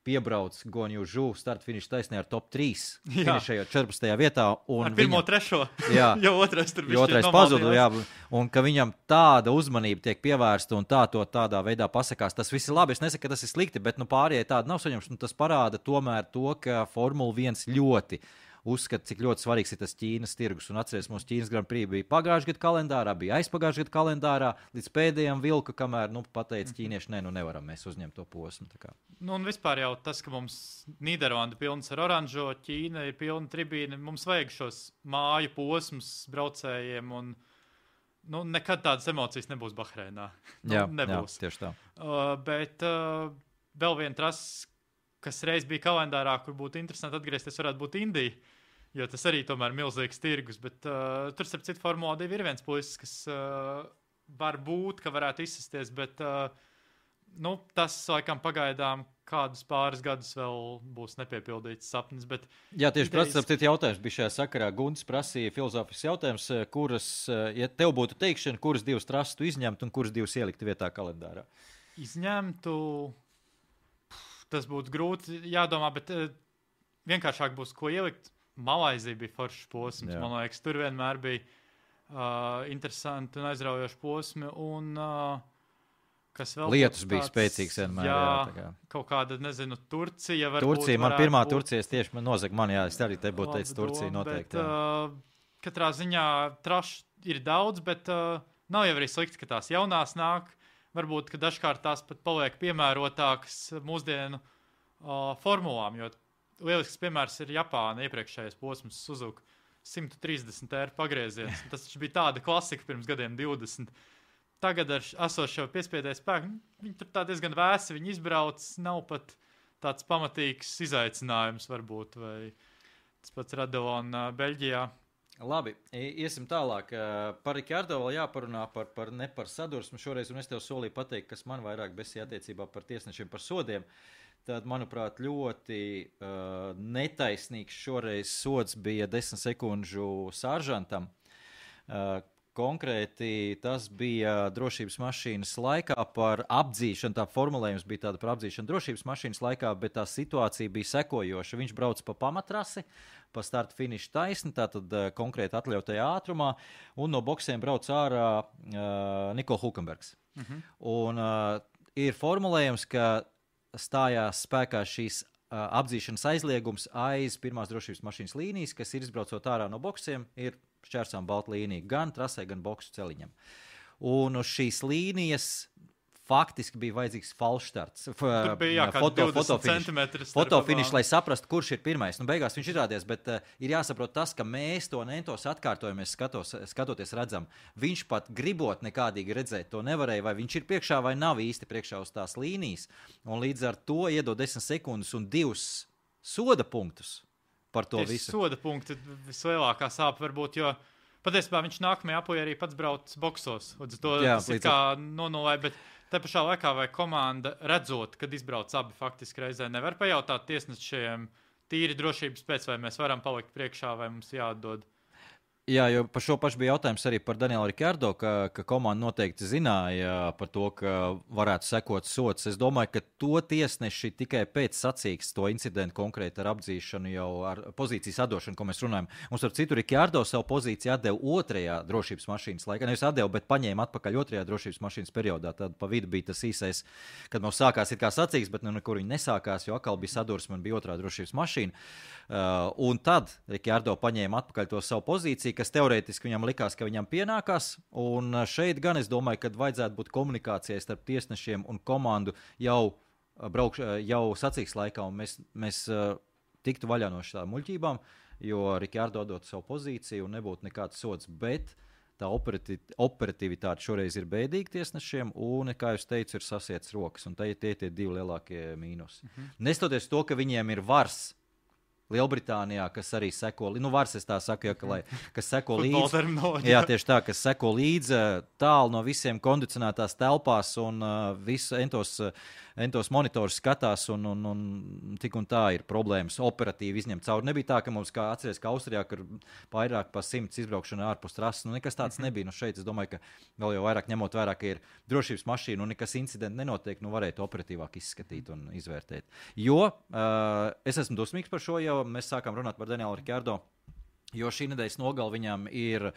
piebrauc Guanju žu start finiša taisnē ar top trīs, finišējot četrpadsmitajā vietā. Un ar pirmo viņam, trešo, jā, jo otrais tur jo otrais pazuda, jā, un ka viņam tāda uzmanība tiek pievērsta un tā to tādā veidā pasakās. Tas viss ir labi, es nesaku, ka tas ir slikti, bet nu, pārējai tāda nav saņemts. Nu, tas parāda tomēr to, ka Formula viens ļoti uzskata, cik ļoti svarīgs ir tas Ķīnas tirgus. Un atceries, mums Ķīnas Grand Prix bija pagājušajā gadu kalendārā, bija aizpagājušajā gadu kalendārā, līdz pēdējiem vilka, kamēr nu, pateica ķīnieši, ne, nu nevaram mēs uzņemt to posmu. Nu, un vispār jau tas, ka mums Nīderlanda pilns ar oranžo, Ķīna ir pilna tribīna, mums vajag šos māju posmus braucējiem, un nu, nekad tādas emocijas nebūs Bahreinā. Nu, jā, nebūs. Jā, tieši tā. Uh, bet uh, vēl viena trasa, kas reiz bija kalendārā, kur būtu interesanti atgriezties, varētu būt Indija. Jo tas arī tomēr ir milzīgs tirgus, bet uh, tur, starp citu, Formula divi ir viens puisis, kas uh, var būt, ka varētu izsasties, bet uh, nu, tas, laikam, pagaidām kādus pāris gadus vēl būs nepiepildīts sapnis. Bet Jā, tieši idejas... prasa, citu jautājums bija šajā sakarā. Gunts prasīja filozofisks jautājums, kuras, ja tev būtu teikšana, kuras divas trases tu izņemtu un kuras divas ieliktu vietā kalendārā? Izņemtu, tas būtu grūti jādomā, bet uh, vienkāršāk būs, ko ielikt. Malaizija bija foršs posms. Jā. Man liekas, tur vienmēr bija uh, interesanti un aizraujoši posmi. Un, uh, kas vēl Lietus tāds, bija spēcīgs vienmēr. Jā, jā, kā. Kaut kāda, nezinu, Turcija. Turcija, man pirmā būt. Turcija tieši man nozaga man, jā, es arī te būtu teicis Turcija doma, noteikti. Bet, uh, katrā ziņā traši ir daudz, bet uh, nav jau arī slikti, ka tās jaunās nāk. Varbūt, ka dažkārt tās pat paliek piemērotākas mūsdienu uh, formulām, jo lielisks piemērs ir Japāna iepriekšējais posms Suzuka simt trīsdesmit eiro pagrieziens. Tas bija tāda klasika pirms gadiem divdesmit. Tagad ar esošo piespiedēju spēku, viņi tur tā diezgan vēsi, viņi izbrauc, nav pat tāds pamatīgs izaicinājums varbūt, vai tas pats Radilona Beļģijā. Labi, iesim tālāk. Par Rikārdo vēl jāparunā par, par ne par sadursmu šoreiz, un es tev solīju pateikt, kas man vairāk besīja attiecībā par tiesnešiem par sodiem. Tad, manuprāt, ļoti uh, netaisnīgs šoreiz sods bija desmit sekundžu sāržantam, uh, konkrēti tas bija drošības mašīnas laikā par apdzīšanu. Tā formulējums bija tāda par apdzīšanu drošības mašīnas laikā, bet tā situācija bija sekojoša. Viņš brauc pa pamatrasi, pa starta finiša taisni, tātad uh, konkrēti atļautajā ātrumā, un no boksiem brauc ārā uh, Nikola Hulkenbergs. Uh-huh. Un uh, ir formulējums, ka stājās spēkā šīs uh, apdzīšanas aizliegums aiz pirmās drošības mašīnas līnijas, kas ir izbraucot ārā no boksiem, ir šķērsām balta līnija gan trasē, gan boksu celiņam. Un uz šīs līnijas faktiski bija vajadzīgs falšstarts. Tur bija jā, foto, divdesmit centimetri fotofinišs, lai saprastu, kurš ir pirmais. Nu, beigās viņš izrādies, bet uh, ir jāsaprot tas, ka mēs to nentos atkārtojamies, skatos, skatoties redzam. Viņš pat gribot nekādīgi redzēt to nevarēja, vai viņš ir priekšā vai nav īsti priekšā uz tās līnijas. Un līdz ar to iedod desmit sekundes un divus soda punktus. Par to Tieši visu. Soda punkti vislielākā sāpe varbūt, jo patiesībā viņš nākamajā apojā arī pats brauc boksos. Līdz to Jā, tas ir kā nonulē, bet te pašā laikā vai komanda redzot, kad izbrauc abi faktiski reizē, nevar pajautāt tiesnešiem tīri drošības pēc, vai mēs varam palikt priekšā, vai mums jāatdod. Jā, jo par šo pašu bija jautājums arī par Danielu Rikardo, ka, ka komanda noteikti zināja par to, ka varētu sekot sots. Es domāju, ka to tiesneši tikai pēc sacīks to incidentu konkrēti ar apdzīšanu jau ar pozīcijas atdošanu, ko mēs runājam. Mums ar citu Rikardo savu pozīciju atdeva otrajā drošības mašīnas laikā. Nevis atdeva, bet paņēma atpakaļ otrajā drošības mašīnas periodā. Tad pa vidu bija tas īsais, kad mums sākās ir kā sacīks, bet nu nekur viņi nesākās, jo atkal bija sadursme un bija otrā drošības mašīna. Uh, un tad Rikardo paņēma atpakaļ to savu pozīciju, kas teorētiski viņam likās, ka viņam pienākās, un šeit gan es domāju, ka vajadzētu būt komunikācijai starp tiesnešiem un komandu jau, braukš, jau sacīks laikā, un mēs, mēs uh, tiktu vaļā no šādām muļķībām, jo Rikardo dot savu pozīciju un nebūtu nekāds sods, bet tā operativ, operativitāte šoreiz ir bēdīga tiesnešiem, un, kā jūs teicu, ir sasiets rokas, un tie tie tie divi lielākie mīnusi. Mhm. Nestoties to, ka viņiem ir vars Lielbritānijā, kas arī seko, nu vars es tā saku, ja, ka, lai, kas seko līdzi, jā, tieši tā, kas seko līdzi tālu no visiem kondicionētās telpās un uh, visu entos, entos monitors skatās un, un, un tik un tā ir problēmas operatīvi izņemt cauri. Nebija tā, ka mums, kā atceries, ka Austrijā, kur vairāk pa simts izbraukšana ārpus trases, nu nekas tāds nebija. Nu šeit es domāju, ka vēl jau vairāk ņemot vērā, ka ir drošības mašīna un nekas incidenti nenotiek, nu varētu operatīvāk izskatīt un izvērtēt. Jo uh, es esmu dusmīgs par šo jau. Mēs sākām runāt par Danielu Rikardo, jo šī nedēļas nogala viņam ir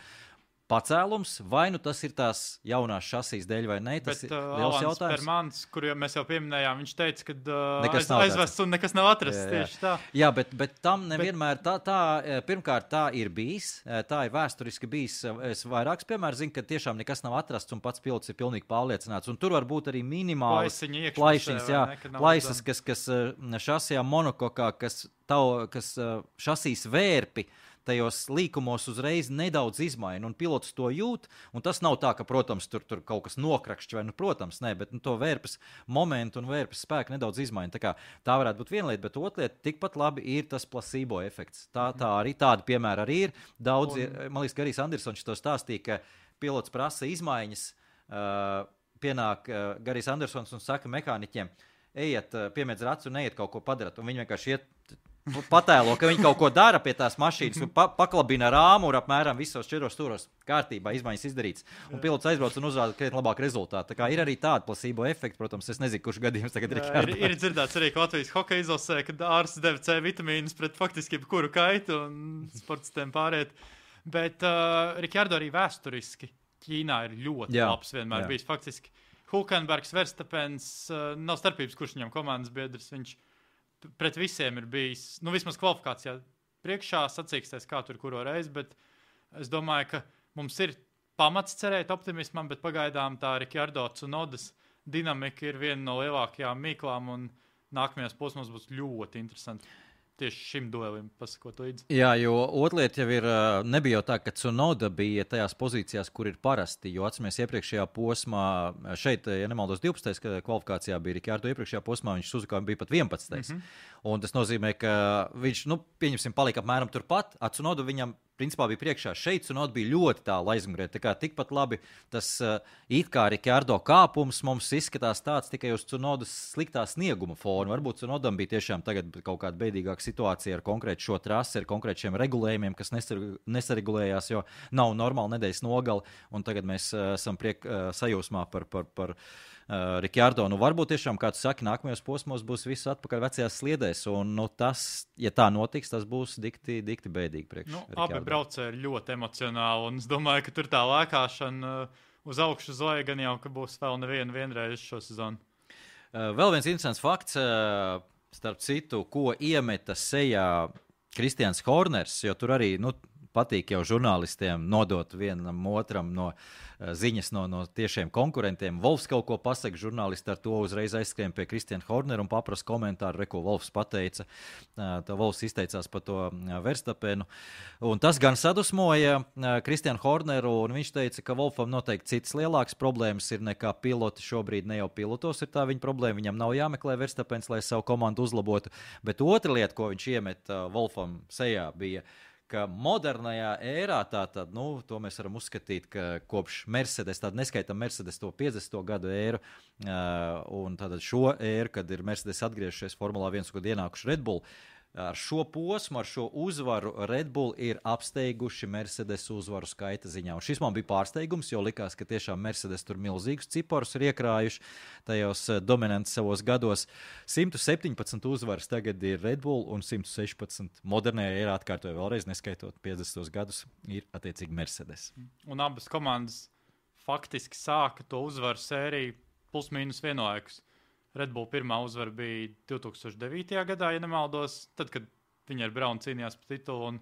pacēlums, vai nu tas ir tās jaunās šasīs dēļ vai ne, tas Bet, ir uh, liels Alans jautājums. Permans, kuru mēs jau pieminējām, viņš teica, ka uh, Nekas aiz, aizvests un nekas nav atrasts, Jā, jā. tieši tā. Jā, bet, bet tam nevienmēr tā, tā, pirmkārt tā ir bijis, tā ir vēsturiski bijis, es vairāks piemērs zinu, ka tiešām nekas nav atrasts un pats pilots ir pilnīgi pārliecināts, un tur var būt arī minimāls Plaisiņi iekšpusē, plaišiņas, vai jā, ne, ka nav plaisas, redzami. kas, kas šasijā monokokā, kas, tau, kas šasīs vērpi, tajos līkumos uzreiz nedaudz izmaina, un pilots to jūt, un tas nav tā, ka, protams, tur, tur kaut kas nokrakšķi, vai, nu, protams, ne, bet nu, to vērpes momentu un vērpes spēku nedaudz izmaina. Tā kā tā varētu būt viena lieta, bet otra lieta, tikpat labi ir tas placebo efekts. Tā, tā arī tāda piemēra arī ir. Daudz, un... ir, man liekas, ka Garijs Andersons to stāstīja, ka pilots prasa izmaiņas, uh, pienāk uh, Garijs Andersons un saka mehāniķiem, ejiet, uh, piemēdz racu un ejiet kaut ko padarat, un viņi vienkārši iet patēlo, ka viņi kaut ko dara pie tās mašīnas, pa, paklabina rāmuru apmēram visos četros stūros kārtībā, izmaiņas izdarīts. Un pilots aizbrauc un uzrāda krietni labāku rezultātu. Tā kā ir arī tāda placebo efekta, protams, es nezinu, kurš gadījums tagad ir. Ir, ir dzirdēts arī, ka Latvijas hokeja izlasē, kad ārsts deva C vitamīnus pret faktiski jebkuru kaitu un sportistiem pāriet. Bet uh, Rikardo arī vēsturiski Ķīnā ir ļoti jā, labs vienmēr jā. bijis. Faktiski Hulkenbergs, Verstapens, uh, nav starpības, kurš viņam komandas biedrs, viņš pret visiem ir bijis, nu vismaz kvalifikācijā priekšā sacīksties, kā tur kuro reizi, bet es domāju, ka mums ir pamats cerēt optimismam, bet pagaidām tā Rikardo Tsunodas dinamika ir viena no lielākajām mīklām, un nākamajās posmos būs ļoti interesanti tieši šim duelim pasakot līdzi. Jā, jo otliet jau ir, nebija jau tā, ka Tsunoda bija tajās pozīcijās, kur ir parasti, jo atcīmies iepriekšējā posmā, šeit, ja nemaldos divpadsmitais kvalifikācijā bija Rikardo, iepriekšējā posmā viņš Suzukā bija pat vienpadsmitais. Mm-hmm. Un tas nozīmē, ka viņš, nu, pieņemsim, palika apmēram turpat, a Tsunoda viņam principā bija priekšā šeit, un Oda bija ļoti tālu aizmugurē. Tā kā tikpat labi tas uh, it kā Rikārdo kāpums mums izskatās tāds tikai uz Cunodas sliktā snieguma fona. Varbūt Cunodam bija tiešām tagad kaut kāda beidīgāka situācija ar konkrēti šo trasi, ar konkrēti šiem regulējumiem, kas nesar, nesaregulējās, jo nav normāla nedēļas nogali, un tagad mēs uh, esam priek, uh, sajūsmā par, par, par Uh, Rikārdo, nu varbūt tiešām, kā tu saki, nākamajos posmos būs viss atpakaļ vecajās sliedēs, un nu, tas, ja tā notiks, tas būs dikti, dikti bēdīgi priekš nu, Rikārdo. Abi braucēji ir ļoti emocionāli, un es domāju, ka tur tā lēkāšana uh, uz augšu uz leju gan jau, ka būs vēl nevienu vienreiz šo sezonu. Uh, vēl viens interesants fakts, uh, starp citu, ko iemeta sejā Kristians Horners, jo tur arī, nu, patīk jau žurnālistiem nodot vienam otram no uh, ziņas no, no tiešiem konkurentiem. Wolfs kaut ko pasaka, žurnālisti ar to uzreiz aizskrien pie Kristiana Hornera un paprasa komentāru, re, ko Wolfs pateica. Uh, tā Wolfs izteicās par to uh, Verstapenu. Un tas gan sadusmoja uh, Kristianu Horneru, un viņš teica, ka Wolfam noteikti citas lielākas problēmas ir nekā piloti. Šobrīd ne jau pilotos ir tā viņa problēma, viņam nav jāmeklē Verstapens, lai savu komandu uzlabotu. Bet otra lieta, ko viņš iemet uh, Wolfam sejā, bija ka modernajā ērā, tātad, nu, to mēs varam uzskatīt, ka kopš Mercedes, tātad neskaitam Mercedes to piecdesmito gadu ēru, uh, un tātad šo ēru, kad ir Mercedes atgriežušies Formulā viens, kad ienākuši Red Bull, ar šo posmu, ar šo uzvaru Red Bull ir apsteiguši Mercedes uzvaru skaita ziņā. Un šis man bija pārsteigums, jo likās, ka tiešām Mercedes tur milzīgus ciparus ir iekrājuši tajos dominantus savos gados. simt septiņpadsmit uzvaras tagad ir Red Bull un simt sešpadsmit modernajā ērā, atkārtoju vēlreiz, neskaitot piecdesmitos gadus, ir attiecīgi Mercedes. Un abas komandas faktiski sāka to uzvaru sēriju plus mīnus vienlaikus. Red Bull pirmā uzvara bija divi tūkstoši devītajā gadā, ja nemaldos, tad, kad viņi ar Braunu cīnījās par titulu, un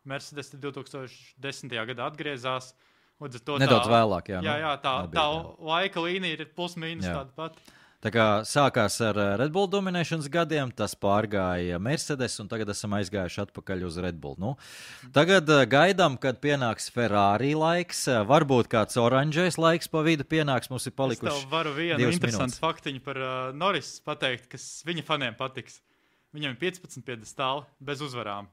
Mercedes divi tūkstoši desmitajā gadā atgriezās. To Nedaudz tā, vēlāk, jā. Jā, jā, tā, Nebija, tā jā. laika līnija ir plus mīnus tāda pati. Tā kā sākās ar Red Bull dominēšanas gadiem, tas pārgāja Mercedes, un tagad esam aizgājuši atpakaļ uz Red Bull. Nu, tagad gaidām, kad pienāks Ferrari laiks, varbūt kāds oranžais laiks pa vidu pienāks, mums ir palikuši divas minūtes. Es tev varu vienu interesantu faktiņu par uh, Norris pateikt, kas viņa faniem patiks. Viņam ir piecpadsmit piedestāli bez uzvarām.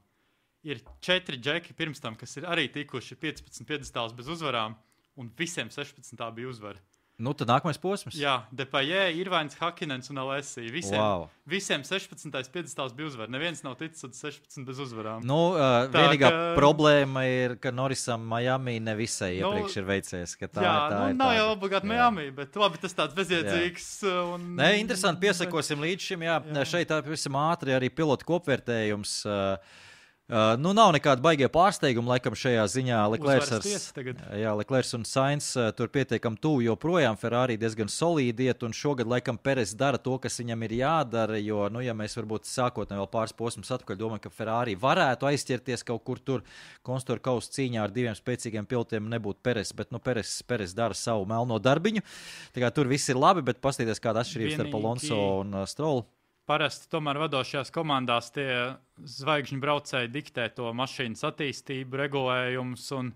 Ir četri džeki pirms tam, kas ir arī tikuši piecpadsmit piedestāls bez uzvarām, un visiem sešpadsmit bija uzvara. Nu, tad nākamais posms. Jā, Depayē, Irvains, Hakinens un Alessi. Visiem, wow. visiem sešpadsmitais piedestāls bija uzvara. Neviens nav ticis uz sešpadsmit bez uzvarām. Nu, uh, Tā, vienīgā ka... problēma ir, ka Norrisam Miami nevisai nu, iepriekš ir veicies. Ka tā, jā, tā nu, ir nav tāda. jau obligāti Miami, bet labi, tas tāds bezjēdzīgs. Un... Nē, interesanti, piesakosim līdz šim. Jā, jā. Šeit pavisam ātri arī pilotu kopvērtējums. Uh, Uh, nu, nav nekāda baigie pārsteiguma, laikam, šajā ziņā. Leclerc, ar, jā, Leclerc un Sainz uh, tur pietiekam tuvu joprojām. Ferrari diezgan solīdi iet, un šogad, laikam, Perez dara to, kas viņam ir jādara, jo, nu, ja mēs varbūt sākotnē vēl pāris posmus atpakaļ domājam, ka Ferrari varētu aizķerties kaut kur tur konstruktūra kausa cīņā ar diviem spēcīgiem pilotiem, nebūtu Perez, bet, nu, Perez, Perez dara savu melno darbiņu. Tā kā tur viss ir labi, bet paskatīties, kāda atšķirības starp Alonso un uh, Strollu. Parasti tomēr vadošajās komandās tie zvaigžņu braucēji diktē to mašīnas attīstību, regulējumus un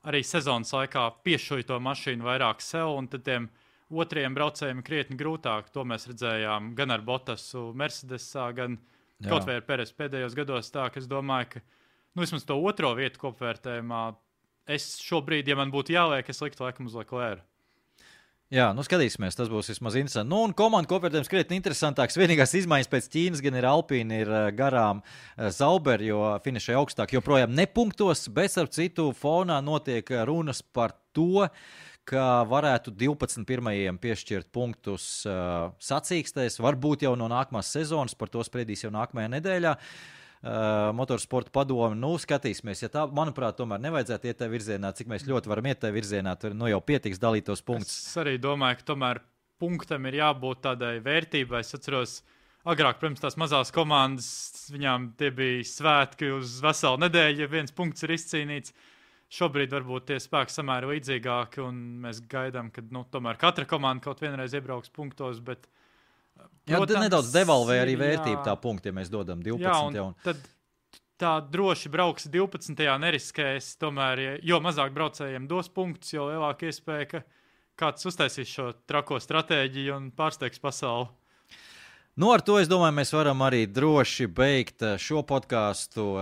arī sezonas laikā piešuj to mašīnu vairāk sev, un tad tiem otriem braucējiem krietni grūtāk. To mēs redzējām gan ar Bottasu Mercedesā, gan Jā. kaut vai ar Perez pēdējos gados. Tā, ka es domāju, ka nu, vismaz to otro vietu kopvērtējumā es šobrīd, ja man būtu jāliek, es liktu laikam uz Leclerc. Jā, nu skatīsimies, tas būs vismaz interesanti. Nu, un komandu kopvērtējums krietni interesantāks. Vienīgās izmaiņas pēc Ķīnas gan ir Alpīna, ir garām Sauber, jo finišai augstāk joprojām nepunktos, bet ar citu fonā notiek runas par to, ka varētu divpadsmit pirmajiem piešķirt punktus uh, sacīkstēs, varbūt jau no nākamās sezonas, par to spriedīs jau nākamajā nedēļā. Uh, motorsporta padomi, nu, skatīsimies, ja tā, manuprāt, tomēr nevajadzētu iet tajā virzienā, cik mēs ļoti varam iet tajā virzienā, tur nu jau pietiks dalīt tos punktus. Es arī domāju, ka tomēr punktam ir jābūt tādai vērtībai. Es atceros, agrāk, protams, tās mazās komandas, viņām tie bija svētki uz veselu nedēļu, ja viens punkts ir izcīnīts. Šobrīd varbūt tie spēki samēri līdzīgāki, un mēs gaidām, ka, nu, tomēr katra komanda kaut vienreiz iebrauks punktos, bet Protams, jā, nedaudz devalvē arī vērtību tā punkti, ja mēs dodam divpadsmit. Jā, un tad tā droši brauks divpadsmitajā neriskēs, tomēr, jo mazāk braucējiem dos punktus, jo lielāka iespēja, ka kāds uztaisīs šo trako stratēģiju un pārsteigs pasauli. Nu, ar to, es domāju, mēs varam arī droši beigt šo podcastu.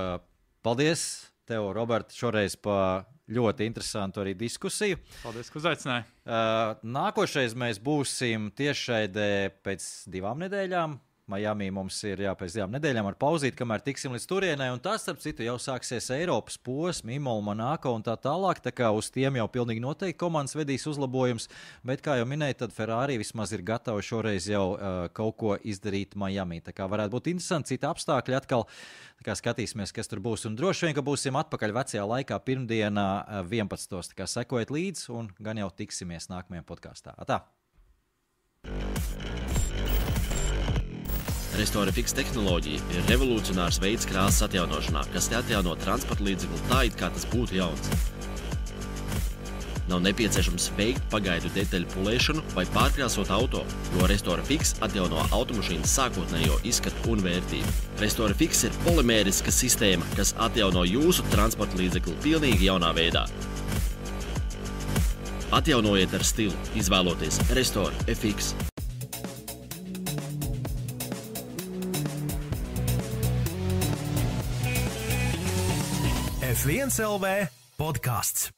Paldies tev, Robert, šoreiz pa ļoti interesantu arī diskusiju. Paldies, ka uzaicināji. Uh, nākošais mēs būsim tiešraidē pēc divām nedēļām. Miami mums ir jā, pēc divām nedēļām ar pauzīt, kamēr tiksim līdz turienai, un tas, starp citu, jau sāksies Eiropas posmi, Imola, Monako un tā tālāk, tā kā uz tiem jau pilnīgi noteikti komandas vedīs uzlabojums, bet, kā jau minēju, tad Ferrari vismaz ir gatava šoreiz jau uh, kaut ko izdarīt Miami, tā kā varētu būt interesanti, citi apstākļi atkal, tā kā skatīsimies, kas tur būs, un droši vien, ka būsim atpakaļ vecajā laikā pirmdienā vienpadsmitajā tā kā sekojiet līdz, un gan jau tiksimies nākamajā podkāstā. Atā! Restore Fix tehnoloģija ir revolucionārs veids krāsas atjaunošanā, kas te atjauno transporta līdzekli tā, it kā tas būtu jauns. Nav nepieciešams veikt pagaidu detaļu pulēšanu vai pārkrāsot auto, jo Restore Fix atjauno automašīnas sākotnējo izskatu un vērtību. Restore Fix ir polimēriska sistēma, kas atjauno jūsu transporta līdzekli pilnīgi jaunā veidā. Atjaunojiet ar stilu, izvēloties Restore F X. F viens L V podkāsts.